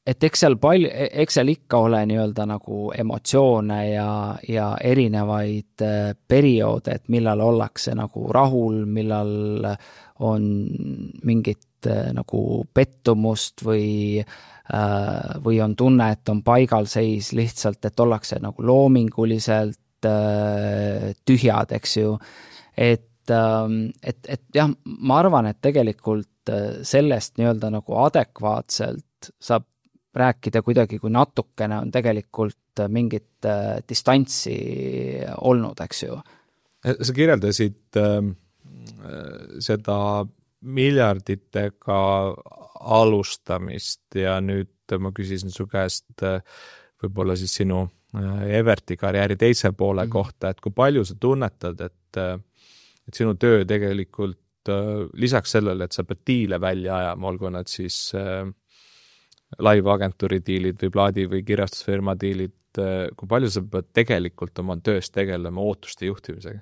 Et eks seal ikka ole nii-öelda nagu emotsioone ja erinevaid perioode, et millal ollakse nagu rahul, millal on mingit nagu pettumust või on tunne, et on paigalseis lihtsalt, et ollakse nagu loominguliselt tühjad, eks ju. Et jah, ma arvan, et tegelikult sellest nii-öelda nagu adekvaatselt saab rääkida kuidagi, kui natukene on tegelikult mingit distantsi olnud, eks ju. Sa kirjeldasid seda miljarditega alustamist ja nüüd ma küsisin su käest võib-olla siis sinu Everti karjääri teise poole kohta, et kui palju sa tunnetad, et sinu töö tegelikult lisaks sellele, et sa pead diile välja ajama, olgu nad siis live-agentuuri diilid või plaadi või kirjastusfirma diilid, kui palju sa pead tegelikult oma töös tegelema ootuste juhtimisega?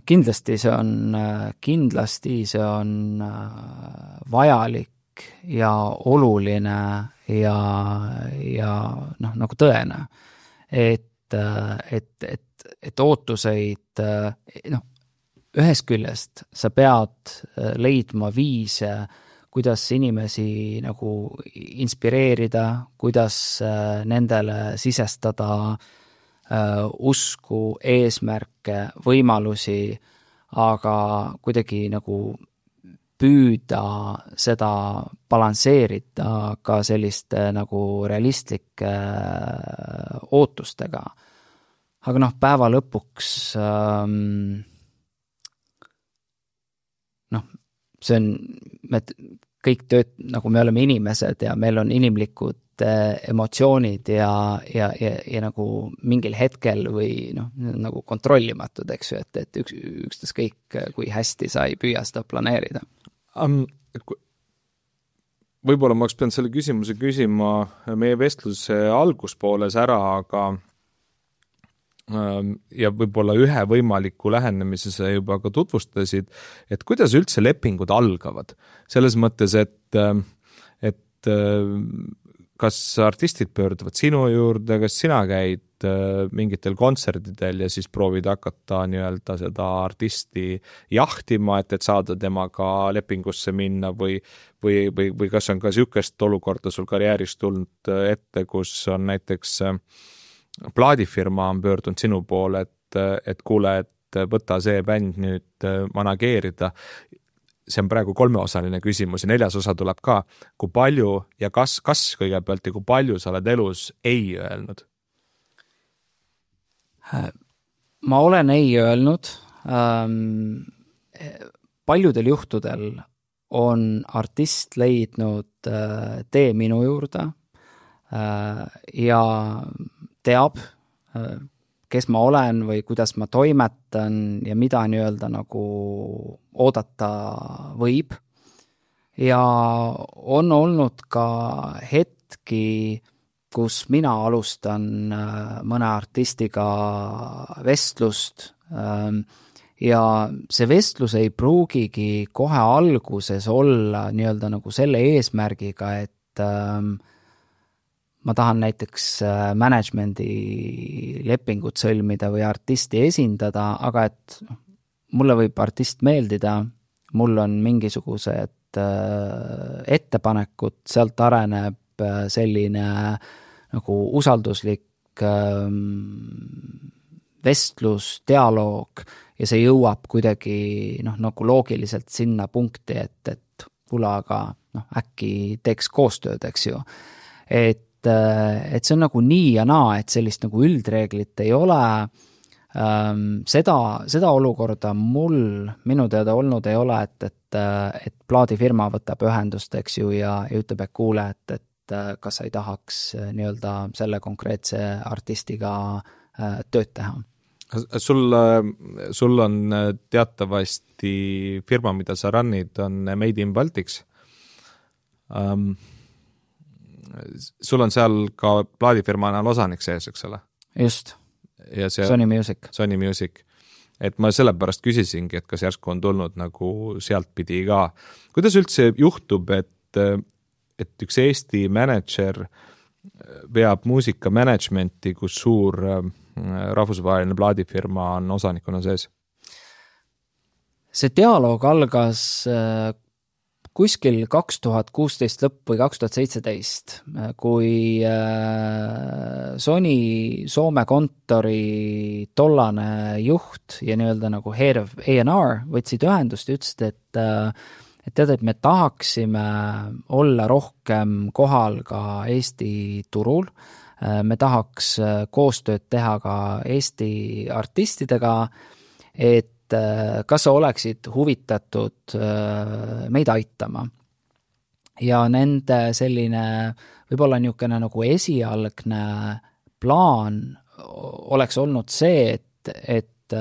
Kindlasti see on vajalik ja oluline ja nagu tõene, et ootuseid ühest küljest sa pead leidma viise, kuidas inimesi nagu inspireerida, kuidas nendele sisestada usku, eesmärke, võimalusi, aga kuidagi nagu püüda seda balansseerida ka selliste nagu realistlike ootustega. Aga noh, päeva lõpuks see on, me kõik nagu me oleme inimesed ja meil on inimlikud emotsioonid ja nagu mingil hetkel või nagu kontrollimatud, eks ju, et ükstas kõik, kui hästi sa ei püüa seda planeerida. Võib-olla ma oleks pidanud selle küsimuse küsima meie vestluse alguspooles ära, aga ja võib-olla ühe võimaliku lähenemise sa juba ka tutvustasid, et kuidas üldse lepingud algavad. Selles mõttes, et kas artistid pöörduvad sinu juurde, kas sina käid mingitel kontserdidel ja siis proovid hakata nii-öelda seda artisti jahtima, et saada temaga lepingusse minna või kas on ka niisugust olukorda sul karjääris tulnud ette, kus on näiteks plaadifirma on pöördunud sinu poole, et kuule, et võta see bänd nüüd manageerida. See on praegu 3-osaline küsimus ja 4. osa tuleb ka. Kui palju ja kas kõigepealt ja kui palju sa oled elus ei öelnud? Ma olen ei öelnud. Paljudel juhtudel on artist leidnud tee minu juurde ja teab, kes ma olen või kuidas ma toimetan ja mida nii-öelda nagu oodata võib. Ja on olnud ka hetki, kus mina alustan mõne artistiga vestlust ja see vestlus ei pruugigi kohe alguses olla nii-öelda nagu selle eesmärgiga, et ma tahan näiteks managemendi lepingut sõlmida või artisti esindada, aga et mulle võib artist meeldida, mul on mingisugused ettepanekud, sealt areneb selline nagu usalduslik vestlus, dialoog ja see jõuab kuidagi nagu loogiliselt sinna punkti, et kuule, aga äkki teeks koostööd, eks ju. Et see on nagu nii ja naa, et sellist nagu üldreeglit ei ole. Seda olukorda minu teada olnud ei ole, et plaadifirma võtab ühendust, eks ju, ja ütleb, et kuule, et kas sa ei tahaks nii-öelda selle konkreetse artistiga tööd teha. Sul on teatavasti firma, mida sa runnid, on Made in Baltics. Sul on seal ka plaadifirma osanik sees, eks ole? Just, Sony Music. Et ma sellepärast küsisingi, et kas järsku on tulnud nagu sealt pidi ka. Kuidas üldse juhtub, et üks Eesti manager veab muusika managementi, kus suur rahvusvaheline plaadifirma on osanikuna sees? See dialoog algas kuskil 2016 lõpp või 2017, kui Sony Soome kontori tollane juht ja nii-öelda nagu head of A&R võtsid ühendust ja ütlesid, et me tahaksime olla rohkem kohal ka Eesti turul, me tahaks koostööd teha ka Eesti artistidega, et kas sa oleksid huvitatud meid aitama. Ja nende selline võib-olla niisugune nagu esialgne plaan oleks olnud see, et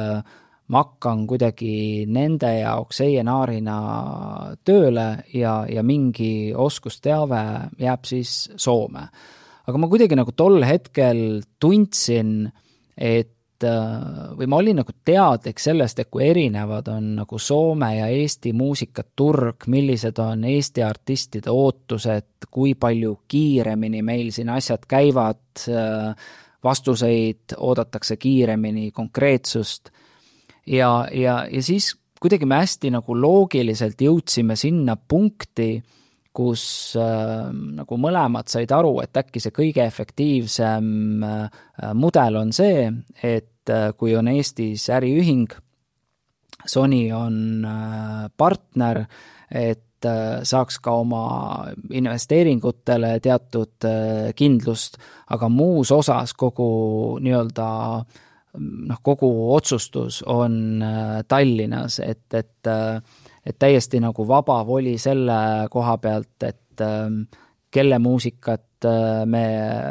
ma hakkan kuidagi nende jaoks A&R-ina tööle ja mingi oskusteave jääb siis Soome. Aga ma kuidagi nagu tol hetkel tundsin, või ma olin nagu teadlik sellest, et kui erinevad on nagu Soome ja Eesti muusikaturg, millised on Eesti artistide ootused, kui palju kiiremini meil siin asjad käivad, vastuseid oodatakse kiiremini, konkreetsust. ja siis kuidagi me hästi nagu loogiliselt jõudsime sinna punkti, kus nagu mõlemad said aru, et äkki see kõige efektiivsem mudel on see, et kui on Eestis äriühing, Sony on partner, et saaks ka oma investeeringutele teatud kindlust, aga muus osas kogu nii-öelda kogu otsustus on Tallinnas, et täiesti nagu vaba voli selle koha pealt, et kelle muusikat me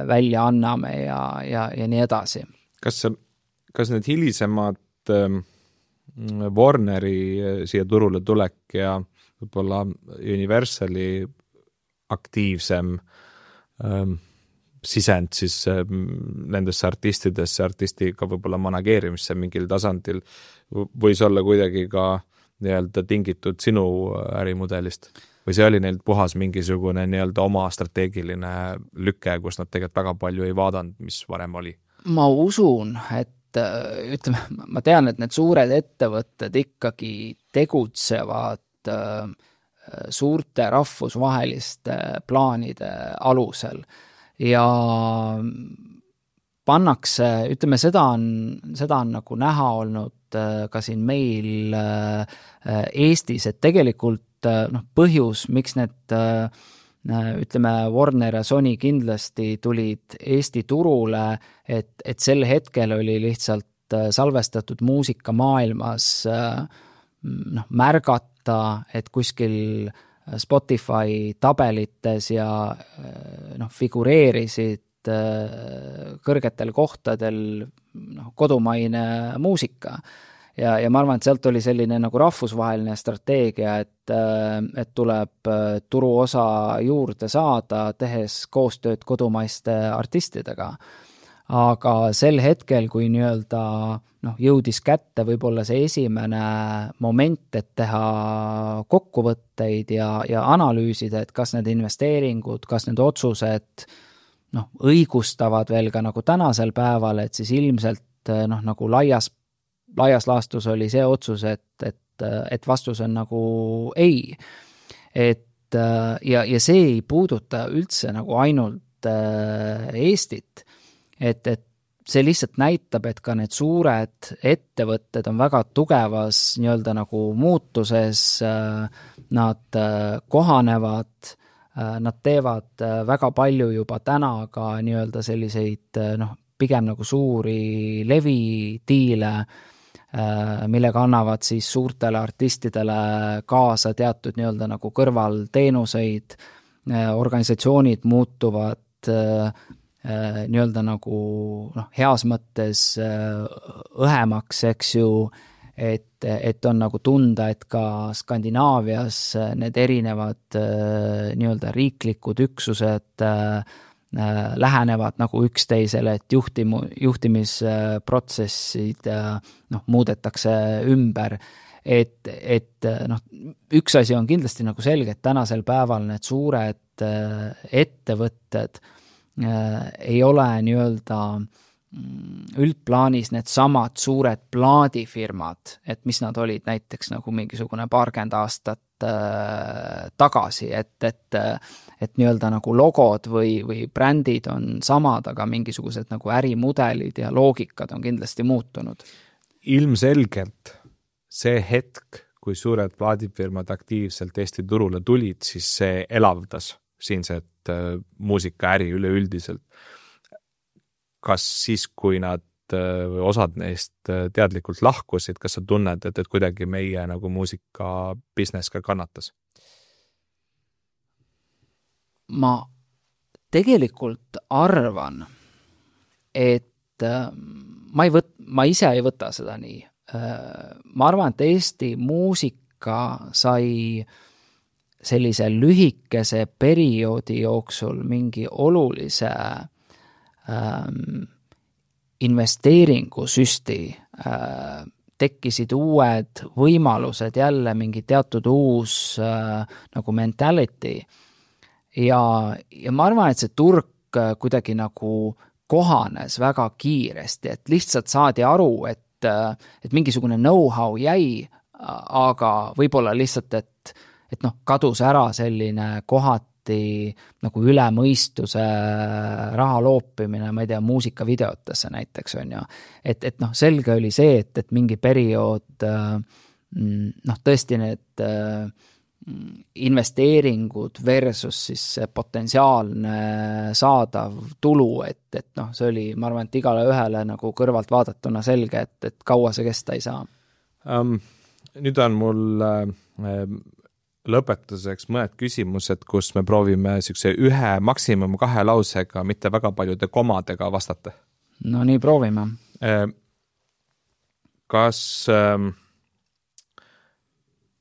välja anname ja nii edasi. Kas need hilisemad Warneri siia turule tulek ja võib-olla Universali aktiivsem sisend siis nendesse artistidesse, artistiga võib-olla manageerimisse mingil tasandil võis olla kuidagi ka nii-öelda tingitud sinu ärimudelist? Või see oli neil puhas mingisugune nii-öelda oma strateegiline lüke, kus nad tegelikult väga palju ei vaadanud, mis varem oli? Ma usun, et ütleme, ma tean, et need suured ettevõtted ikkagi tegutsevad suurte rahvusvaheliste plaanide alusel ja pannakse, ütleme, seda on nagu näha olnud ka siin meil Eestis, et tegelikult põhjus, miks need ütleme, Warner ja Sony kindlasti tulid Eesti turule, et sel hetkel oli lihtsalt salvestatud muusika maailmas märgata, et kuskil Spotify tabelites ja figureerisid kõrgetel kohtadel kodumaine muusika. Ja ma arvan, et sealt oli selline nagu rahvusvaheline strateegia, et tuleb turuosa juurde saada, tehes koostööd kodumaiste artistidega. Aga sel hetkel, kui nii-öelda jõudis kätte võib-olla see esimene moment, et teha kokkuvõtteid ja analüüsida, et kas need investeeringud, kas need otsused õigustavad veel ka nagu tänasel päeval, et siis ilmselt nagu laias laastus oli see otsus, et vastus on nagu ei. Ja see ei puuduta üldse nagu ainult Eestit, et see lihtsalt näitab, et ka need suured ettevõtted on väga tugevas nii-öelda nagu muutuses, nad kohanevad, nad teevad väga palju juba täna ka nii-öelda selliseid pigem nagu suuri levidiile, millega annavad siis suurtele artistidele kaasa teatud nii-öelda nagu kõrvalteenuseid, organisatsioonid muutuvad nii-öelda nagu heas mõttes õhemaks, eks ju, et on nagu tunda, et ka Skandinaavias need erinevad nii-öelda riiklikud üksused lähenevad nagu üksteisele, et juhtimisprotsessid muudetakse ümber, et üks asi on kindlasti nagu selge, et tänasel päeval need suured ettevõtted ei ole nii-öelda üldplaanis need samad suured plaadifirmad, et mis nad olid näiteks nagu mingisugune 20 aastat tagasi, et nii-öelda nagu logod või brändid on samad, aga mingisugused nagu ärimudelid ja loogikad on kindlasti muutunud. Ilmselgelt see hetk, kui suured plaadifirmad aktiivselt Eesti turule tulid, siis see elavdas siinset muusikaäri üleüldiselt. Kas siis, kui nad osad neist teadlikult lahkusid, kas sa tunned, et kuidagi meie nagu muusika business ka kannatas? Ma tegelikult arvan, et ma ise ei võta seda nii. Ma arvan, et Eesti muusika sai sellise lühikese perioodi jooksul mingi olulise investeeringusüsti, tekkisid uued võimalused, jälle mingi teatud uus nagu mentality ja ma arvan, et see turg kuidagi nagu kohanes väga kiiresti, et lihtsalt saadi aru, et et mingisugune know-how jäi, aga võib-olla lihtsalt, et noh, kadus ära selline kohati nagu üle mõistuse raha loopimine, ma ei tea, muusikavideotesse näiteks on ju. Et noh, selge oli see, et mingi periood noh, tõesti need investeeringud versus siis potentsiaalne saadav tulu, et noh, see oli, ma arvan, et igale ühele nagu kõrvalt vaadatuna selge, et kaua see kesta ei saa. Nüüd on mul lõpetuseks mõned küsimused, kus me proovime siukse 1, maksimum 2 lausega, mitte väga paljude komadega vastata. No nii proovime. Kas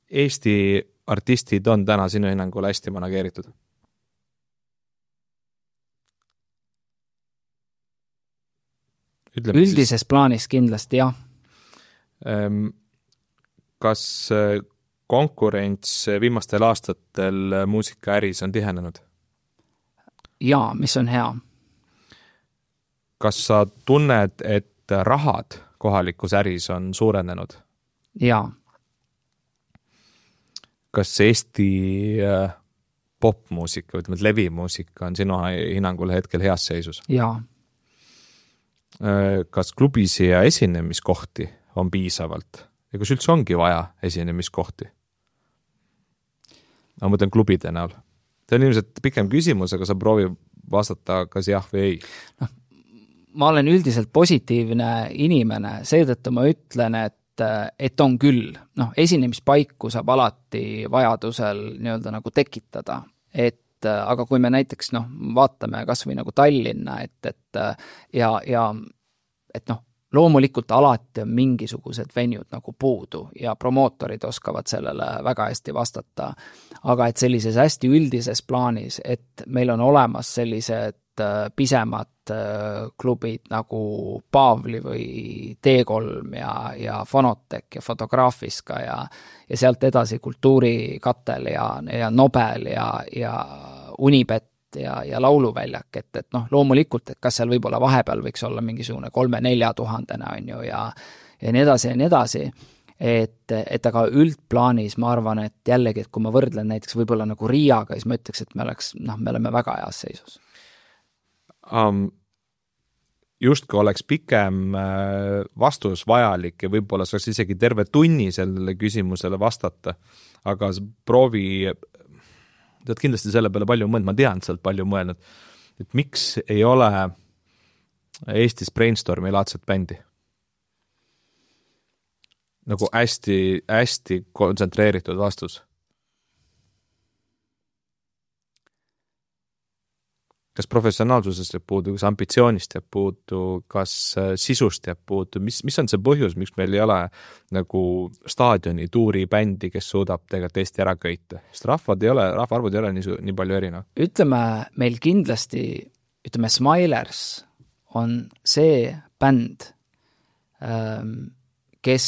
Eesti artistid on täna sinu hinnangul hästi manageeritud? Üldises plaanis kindlasti, jah. Kas konkurents viimastel aastatel muusikaäris on tihenenud? Jaa, mis on hea. Kas sa tunned, et rahad kohalikus äris on suurenenud? Jaa. Kas Eesti popmuusika, ütleme, levimuusika on sinu hinnangul hetkel heas seisus? Jaa. Kas klubisi ja esinemiskohti on piisavalt? Ja kas üldse ongi vaja esinemiskohti? Ma mõtlen klubide näol. See on ilmselt pikem küsimus, aga sa proovi vastata kas jah või ei. No, ma olen üldiselt positiivne inimene, seetõttu ma ütlen, et on küll. No, esinemispaiku saab alati vajadusel nii-öelda nagu tekitada, aga kui me näiteks vaatame kas või nagu Tallinna, et loomulikult alati on mingisugused venjud nagu puudu ja promootorid oskavad sellele väga hästi vastata, aga et sellises hästi üldises plaanis, et meil on olemas sellised pisemad klubid nagu Paavli või T3 ja Fonotek ja Fotograafiska ja sealt edasi Kultuurikatel ja Nobel ja Unibet ja lauluväljak, et loomulikult, et kas seal võib-olla vahepeal võiks olla mingisugune 3-4 tuhandene on ju ja nii edasi ja nii edasi, et aga üldplaanis ma arvan, et jällegi, et kui ma võrdlen näiteks võib-olla nagu Riiaga, siis ma ütleks, et me oleme väga heas seisus. Justki oleks pikem vastus vajalik ja võib-olla saaks isegi terve tunni sellele küsimusele vastata, aga proovi, tead kindlasti selle peale palju mõelnud, ma tean sealt palju mõelnud, et miks ei ole Eestis Brainstormi laadset bändi? Nagu hästi kontsentreeritud vastus. Kas professionaalsusest jääb puudu, kas ambitsioonist jääb puudu, kas sisust jääb puudu, mis on see põhjus, miks meil ei ole nagu staadioni tuuri bändi, kes suudab tegelikult Eesti ära köita? Sest rahvaarvud ei ole nii palju erinev. Ütleme, meil kindlasti, Smilers on see bänd, kes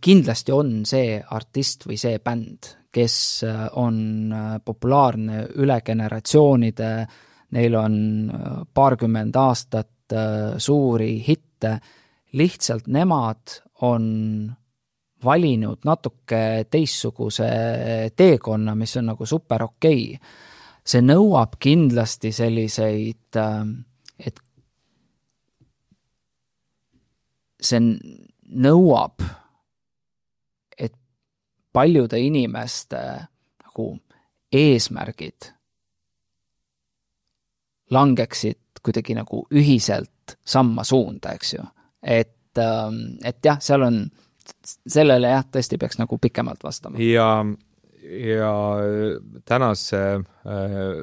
kindlasti on see artist või see bänd, kes on populaarne üle generatsioonide, neil on 20 aastat suuri hitte, lihtsalt nemad on valinud natuke teistsuguse teekonna, mis on nagu super okei. See nõuab kindlasti selliseid, et see nõuab, et paljude inimeste nagu eesmärgid langeksid kuidagi nagu ühiselt samma suunda, eks ju. Et jah, seal on, sellele jah, tõesti peaks nagu pikemalt vastama. Ja tänase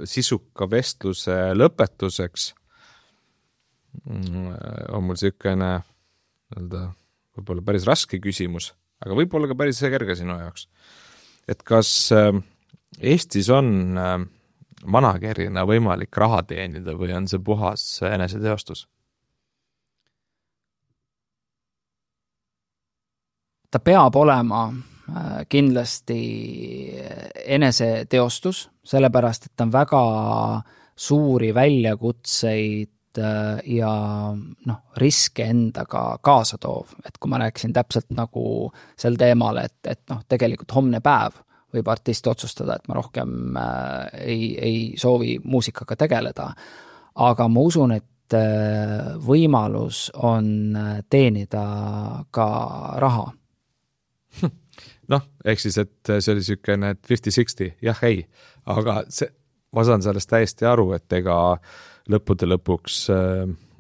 sisuka vestluse lõpetuseks on mul selline võib-olla päris raske küsimus, aga võib-olla ka päris kerge sinu jaoks. Et kas Eestis on managerina võimalik raha teenida või on see puhas eneseteostus? Ta peab olema kindlasti eneseteostus, sellepärast, et ta on väga suuri väljakutseid ja noh, riske endaga kaasa toov, et kui ma rääkisin täpselt nagu sel teemal, et noh, tegelikult homne päev võib artist otsustada, et ma rohkem ei soovi muusikaga tegeleda, aga ma usun, et võimalus on teenida ka raha. Noh, ehk siis, et see oli niisugune 50-60, jah, ei, aga ma saan sellest täiesti aru, et ega lõppude lõpuks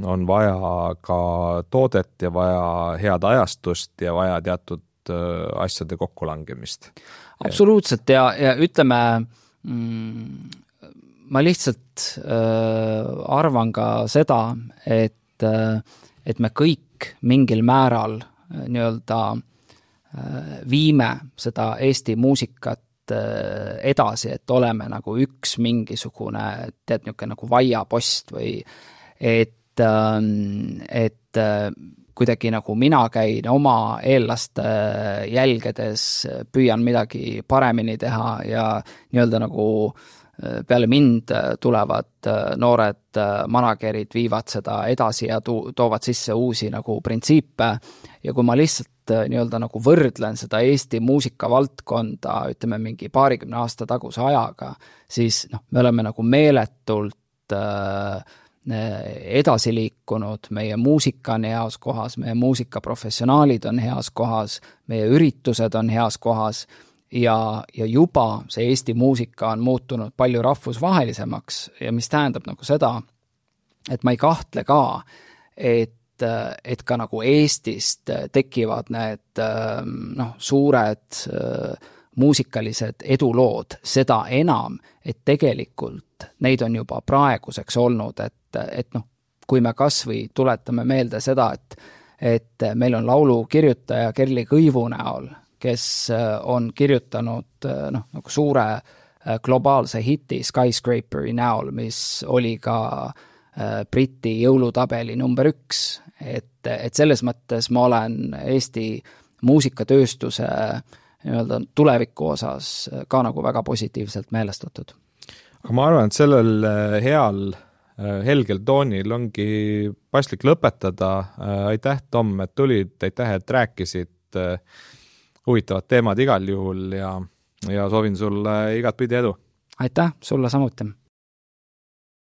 on vaja ka toodet ja vaja head ajastust ja vaja teatud asjade kokkulangemist. Absoluutselt ja ütleme, ma lihtsalt arvan ka seda, et me kõik mingil määral nii-öelda viime seda Eesti muusikat edasi, et oleme nagu üks mingisugune, tead, niisugune nagu vaiapost või et kuidagi nagu mina käin oma eelaste jälgedes, püüan midagi paremini teha ja nii-öelda nagu peale mind tulevad noored managerid, viivad seda edasi ja toovad sisse uusi nagu printsiipe ja kui ma lihtsalt nii-öelda nagu võrdlen seda Eesti muusikavaldkonda, ütleme mingi 20 aasta taguse ajaga, siis noh, me oleme nagu meeletult edasi liikunud, meie muusika on heas kohas, meie muusikaprofessionaalid on heas kohas, meie üritused on heas kohas ja juba see Eesti muusika on muutunud palju rahvusvahelisemaks ja mis tähendab nagu seda, et ma ei kahtle ka, et ka nagu Eestist tekivad need suured muusikalised edulood, seda enam, et tegelikult neid on juba praeguseks olnud, et noh, kui me kas või tuletame meelde seda, et meil on laulu kirjutaja Kerli Kõivu näol, kes on kirjutanud nagu suure globaalse hiti Skyscraperi näol, mis oli ka Briti jõulutabeli number 1, et selles mõttes ma olen Eesti muusikatööstuse nii-öelda tuleviku osas ka nagu väga positiivselt meelestatud. Aga ma arvan, et sellel heal helgel toonil ongi paslik lõpetada. Aitäh, Tom, et tulid, aitäh, et rääkisid huvitavad teemad igal juhul ja soovin sulle igat pidi edu. Aitäh, sulle samuti!